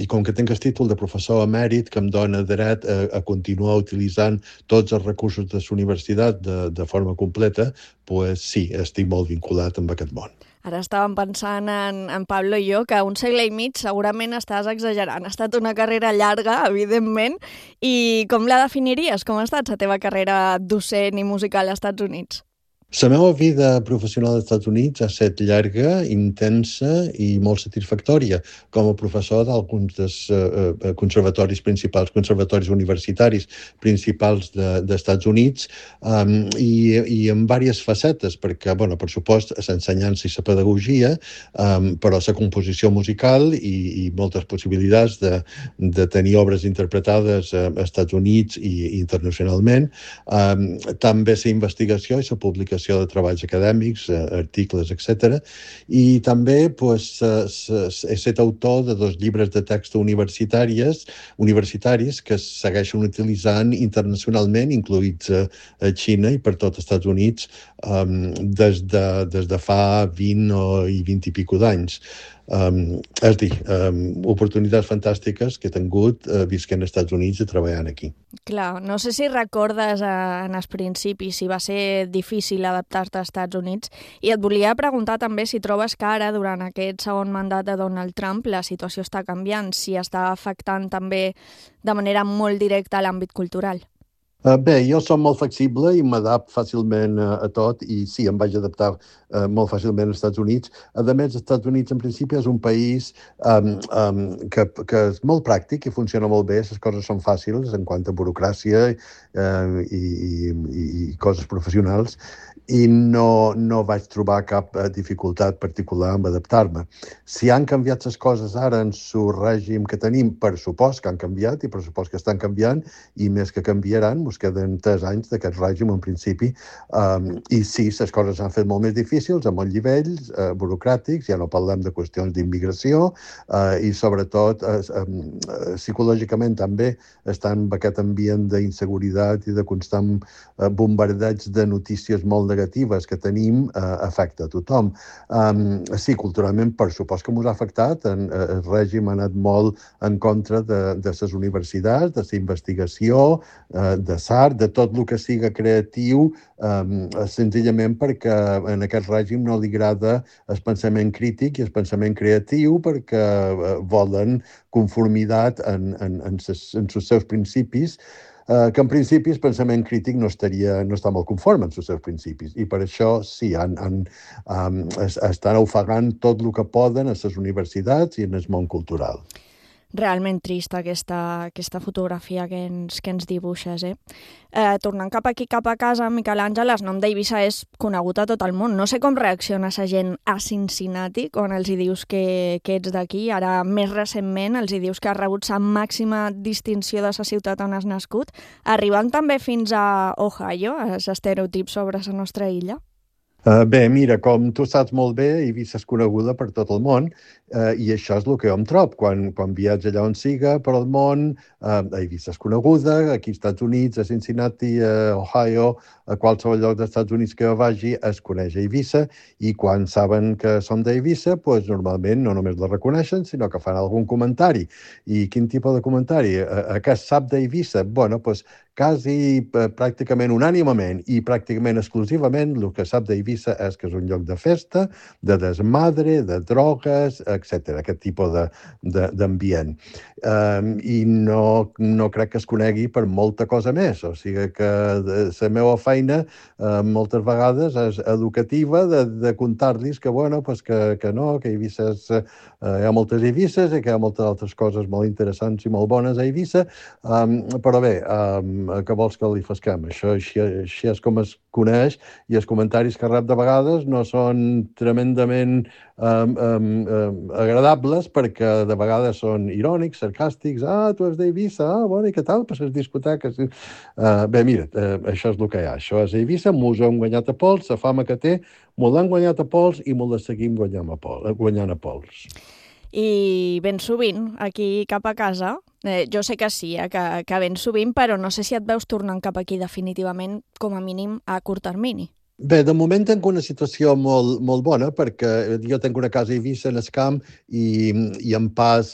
i com que tinc el títol de professor emèrit que em dona dret a, a continuar utilitzant tots els recursos de la universitat de, de forma completa, pues sí, estic molt vinculat amb aquest món. Ara estàvem pensant en, en Pablo i jo que un segle i mig segurament estàs exagerant. Ha estat una carrera llarga, evidentment, i com la definiries? Com ha estat la teva carrera docent i musical als Estats Units? La meva vida professional als Estats Units ha estat llarga, intensa i molt satisfactòria com a professor d'alguns dels uh, conservatoris principals, conservatoris universitaris principals dels de, Estats Units, um, i, i en diverses facetes, perquè, bueno, per supost, l'ensenyança i la pedagogia, um, però la composició musical i, i moltes possibilitats de, de tenir obres interpretades als Estats Units i, i internacionalment, um, també la investigació i la publicació de treballs acadèmics, articles, etcètera. I també pues, he estat autor de dos llibres de text universitaris, universitaris que es segueixen utilitzant internacionalment, incloïts a, a Xina i per tot els Estats Units, um, des, de, des de fa vint o, i vint i pico d'anys. Um, és a dir, um, oportunitats fantàstiques que he tingut uh, visquent als Estats Units i treballant aquí. Clar, no sé si recordes eh, en els principis si va ser difícil adaptar-te als Estats Units, i et volia preguntar també si trobes que ara, durant aquest segon mandat de Donald Trump, la situació està canviant, si està afectant també de manera molt directa a l'àmbit cultural. Uh, bé, jo som molt flexible i m'adapto fàcilment uh, a tot, i sí, em vaig adaptar uh, molt fàcilment als Estats Units. A més, els Estats Units, en principi, és un país um, um, que, que és molt pràctic i funciona molt bé, les coses són fàcils en quant a burocràcia uh, i, i, i coses professionals, i no, no vaig trobar cap uh, dificultat particular en adaptar-me. Si han canviat les coses ara en el règim que tenim, per supost que han canviat, i per supost que estan canviant, i més que canviaran, ens queden tres anys d'aquest règim en principi, um, i sí, les coses s'han fet molt més difícils a molts nivells uh, burocràtics, ja no parlem de qüestions d'immigració, uh, i sobretot uh, um, uh, psicològicament també estan en aquest ambient d'inseguretat i de constant uh, bombardeig de notícies molt negatives que tenim, eh, afecta a tothom. Um, sí, culturalment, per supost que ens ha afectat. En, eh, el règim ha anat molt en contra de, de les universitats, de la investigació, eh, de l'art, de tot el que siga creatiu, um, senzillament perquè en aquest règim no li agrada el pensament crític i el pensament creatiu, perquè eh, volen conformitat en, en, en, ses, en els seus principis, Uh, que en principi el pensament crític no, estaria, no està molt conforme amb els seus principis, i per això sí, han, han, um, estan ofegant tot el que poden a les universitats i en el món cultural. realment trista aquesta, aquesta fotografia que ens, que ens dibuixes, eh? eh? Tornant cap aquí, cap a casa, Miquel Àngel, el nom d'Eivissa és conegut a tot el món. No sé com reacciona la gent a Cincinnati quan els hi dius que, que ets d'aquí. Ara, més recentment, els hi dius que has rebut la màxima distinció de la ciutat on has nascut, arribant també fins a Ohio, a l'estereotip sobre la nostra illa. Uh, bé, mira, com tu saps molt bé, Eivissa és coneguda per tot el món uh, i això és el que jo em trob. Quan, quan viatge allà on siga, per el món, uh, Eivissa és coneguda, aquí als Estats Units, a Cincinnati, a Ohio, a qualsevol lloc dels Estats Units que jo vagi, es coneix Eivissa, i quan saben que som d'Eivissa, pues, normalment no només la reconeixen, sinó que fan algun comentari. I quin tipus de comentari? A, a què es sap d'Eivissa? Bueno, pues, quasi pràcticament unànimament i pràcticament exclusivament el que sap d'Eivissa és que és un lloc de festa, de desmadre, de drogues, etcètera, aquest tipus de, de, d'ambient. Um, I no, no crec que es conegui per molta cosa més. O sigui que la meva feina uh, moltes vegades és educativa de, de contar-los que, bueno, pues que, que no, que Eivissa és, uh, hi ha moltes Eivisses i que hi ha moltes altres coses molt interessants i molt bones a Eivissa, um, però bé, um, que vols que li fasquem? Això així, així és com es coneix, i els comentaris que rep de vegades no són tremendament um, um, um, agradables, perquè de vegades són irònics, sarcàstics. Ah, tu ets d'Eivissa, ah, bueno, i què tal? Per les discoteques. Uh, bé, mira, uh, això és el que hi ha. Això és Eivissa, mos hem guanyat a pols, la fama que té, mos l'han guanyat a pols i mos la seguim guanyant a pols. Guanyant a pols. I ben sovint, aquí cap a casa, eh, jo sé que sí, eh, que, que ben sovint, però no sé si et veus tornant cap aquí definitivament, com a mínim a curt termini. Bé, de moment tinc una situació molt, molt bona, perquè jo tinc una casa a Eivissa, en el camp, i, i em pas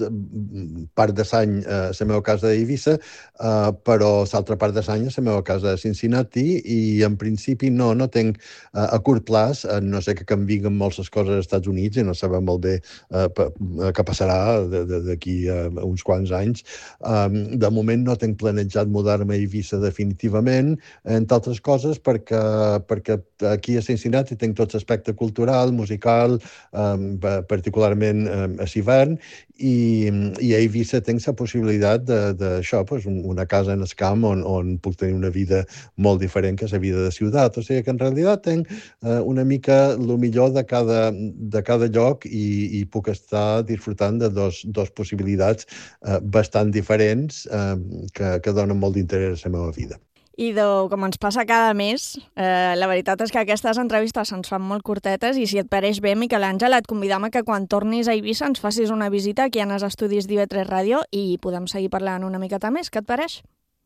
part de l'any a la meva casa a Eivissa, uh, però l'altra part de l'any a la meva casa a Cincinnati, i en principi no, no tinc uh, a curt plaç, uh, no sé que canvien molt les coses als Estats Units i no sabem molt bé uh, què passarà d'aquí a uh, uns quants anys. Um, de moment no tinc planejat mudar-me a Eivissa definitivament, entre altres coses perquè, perquè aquí a Cincinnati tinc tot l'aspecte cultural, musical, um, particularment um, a l'hivern, i, i a Eivissa tinc la possibilitat d'això, pues, una casa en el camp on, on puc tenir una vida molt diferent que la vida de ciutat. O sigui que en realitat tinc uh, una mica el millor de cada, de cada lloc i, i puc estar disfrutant de dos, dos possibilitats uh, bastant diferents uh, que, que donen molt d'interès a la meva vida. Idò, com ens passa cada mes, eh, la veritat és que aquestes entrevistes se'ns fan molt curtetes i si et pareix bé, Miquel Àngel, et convidam a que quan tornis a Eivissa ens facis una visita aquí en els estudis d'I V tres Ràdio i podem seguir parlant una miqueta més. Què et pareix?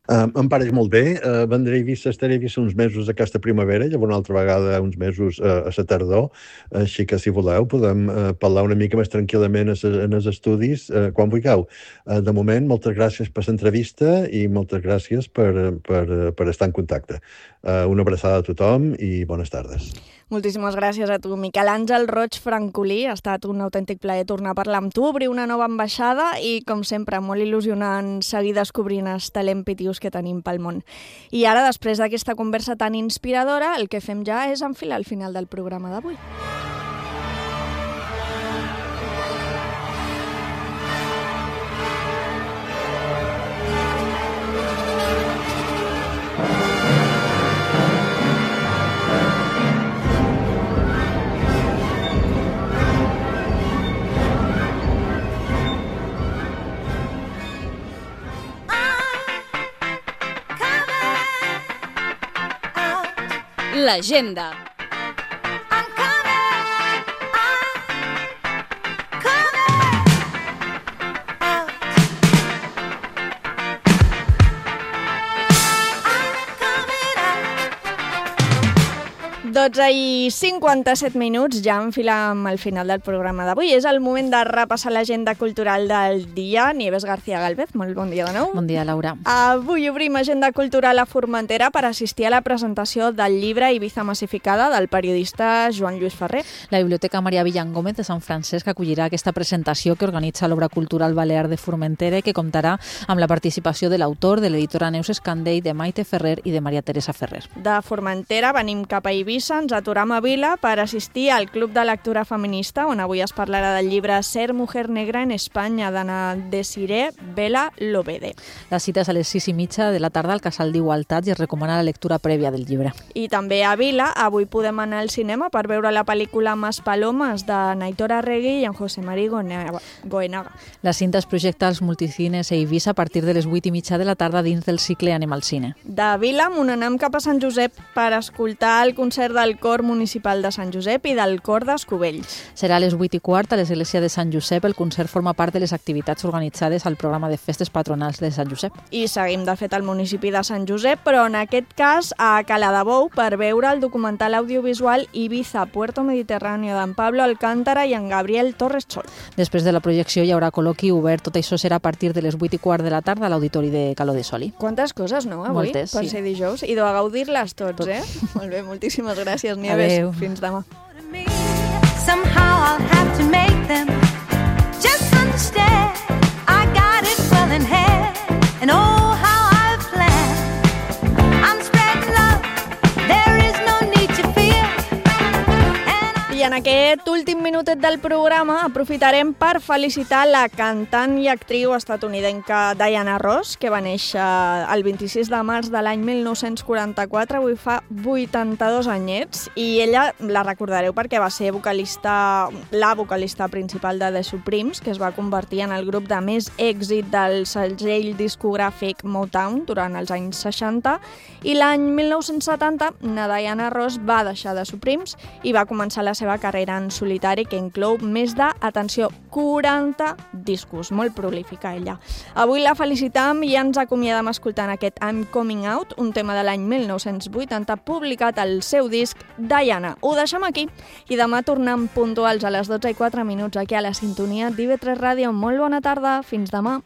Uh, em pareix molt bé. Uh, vendré a Eivissa, estaré a Eivissa uns mesos aquesta primavera, llavors una altra vegada uns mesos uh, a la tardor, així que si voleu podem uh, parlar una mica més tranquil·lament en els estudis uh, quan vulgueu. Uh, de moment, moltes gràcies per l'entrevista i moltes gràcies per, per, per estar en contacte. Uh, una abraçada a tothom i bones tardes. Moltíssimes gràcies a tu, Miquel Àngel Roig Francolí. Ha estat un autèntic plaer tornar a parlar amb tu, obrir una nova ambaixada i, com sempre, molt il·lusionant seguir descobrint els talents pitius que tenim pel món. I ara, després d'aquesta conversa tan inspiradora, el que fem ja és enfilar al final del programa d'avui. L'agenda. dotze i cinquanta-set minuts, ja enfilem al final del programa d'avui. És el moment de repassar l'agenda cultural del dia. Nieves García Galvez, molt bon dia de nou. Bon dia, Laura. Avui obrim agenda cultural a Formentera per assistir a la presentació del llibre Ibiza massificada del periodista Joan Lluís Ferrer. La Biblioteca Maria Villangómez de Sant Francesc acollirà aquesta presentació que organitza l'Obra Cultural Balear de Formentera i que comptarà amb la participació de l'autor, de l'editora Neus Escandell, de Maite Ferrer i de Maria Teresa Ferrer. De Formentera venim cap a Eivissa conversa ens aturam a Vila per assistir al Club de Lectura Feminista, on avui es parlarà del llibre Ser mujer negra en Espanya, d'Anna Desiré Vela Lobede. La cita és a les sis i mitja de la tarda al Casal d'Igualtat i es recomana la lectura prèvia del llibre. I també a Vila, avui podem anar al cinema per veure la pel·lícula Mas Palomas de Naitor Arregui i en José María Goenaga. La cinta es projecta als multicines a Eivissa a partir de les vuit i mitja de la tarda dins del cicle Anem al cine. De Vila, m'on anem cap a Sant Josep per escoltar el concert del Cor Municipal de Sant Josep i del Cor d'Escovells. Serà a les vuit i quart a l'església de Sant Josep. El concert forma part de les activitats organitzades al programa de festes patronals de Sant Josep. I seguim, de fet, al municipi de Sant Josep, però en aquest cas a Caladabou per veure el documental audiovisual Ibiza, Puerto Mediterráneo d'en Pablo Alcántara i en Gabriel Torres Chol. Després de la projecció hi haurà col·loqui obert. Tot això serà a partir de les vuit i quart de la tarda a l'auditori de Caló de Soli. Quantes coses, no, avui? Moltes, per sí. ser dijous. I de gaudir-les tots, Tot. eh? Molt bé, moltíssimes gràcies, Nieves. Adéu. Fins demà. Somehow I'll have to make them just understand I got it well in hand and oh how I've planned I'm spreading love there is no need to fear. I en aquest últim minutet del programa aprofitarem per felicitar la cantant i actriu estatunidenca Diana Ross, que va néixer el vint-i-sis de març de l'any mil nou-cents quaranta-quatre, avui fa vuitanta-dos anyets, i ella la recordareu perquè va ser vocalista, la vocalista principal de The Supremes, que es va convertir en el grup de més èxit del segell discogràfic Motown durant els anys seixanta, i l'any mil nou-cents setanta la Diana Ross va deixar The Supremes i va començar la seva carrera en solitari, que inclou més de, atenció, quaranta discos, molt prolífica ella. Avui la felicitam i ens acomiadem escoltant aquest I'm Coming Out, un tema de l'any mil nou-cents vuitanta, publicat al seu disc Diana. Ho deixem aquí i demà tornem puntuals a les dotze i quatre minuts aquí a la sintonia d'I V tres Ràdio. Molt bona tarda, fins demà.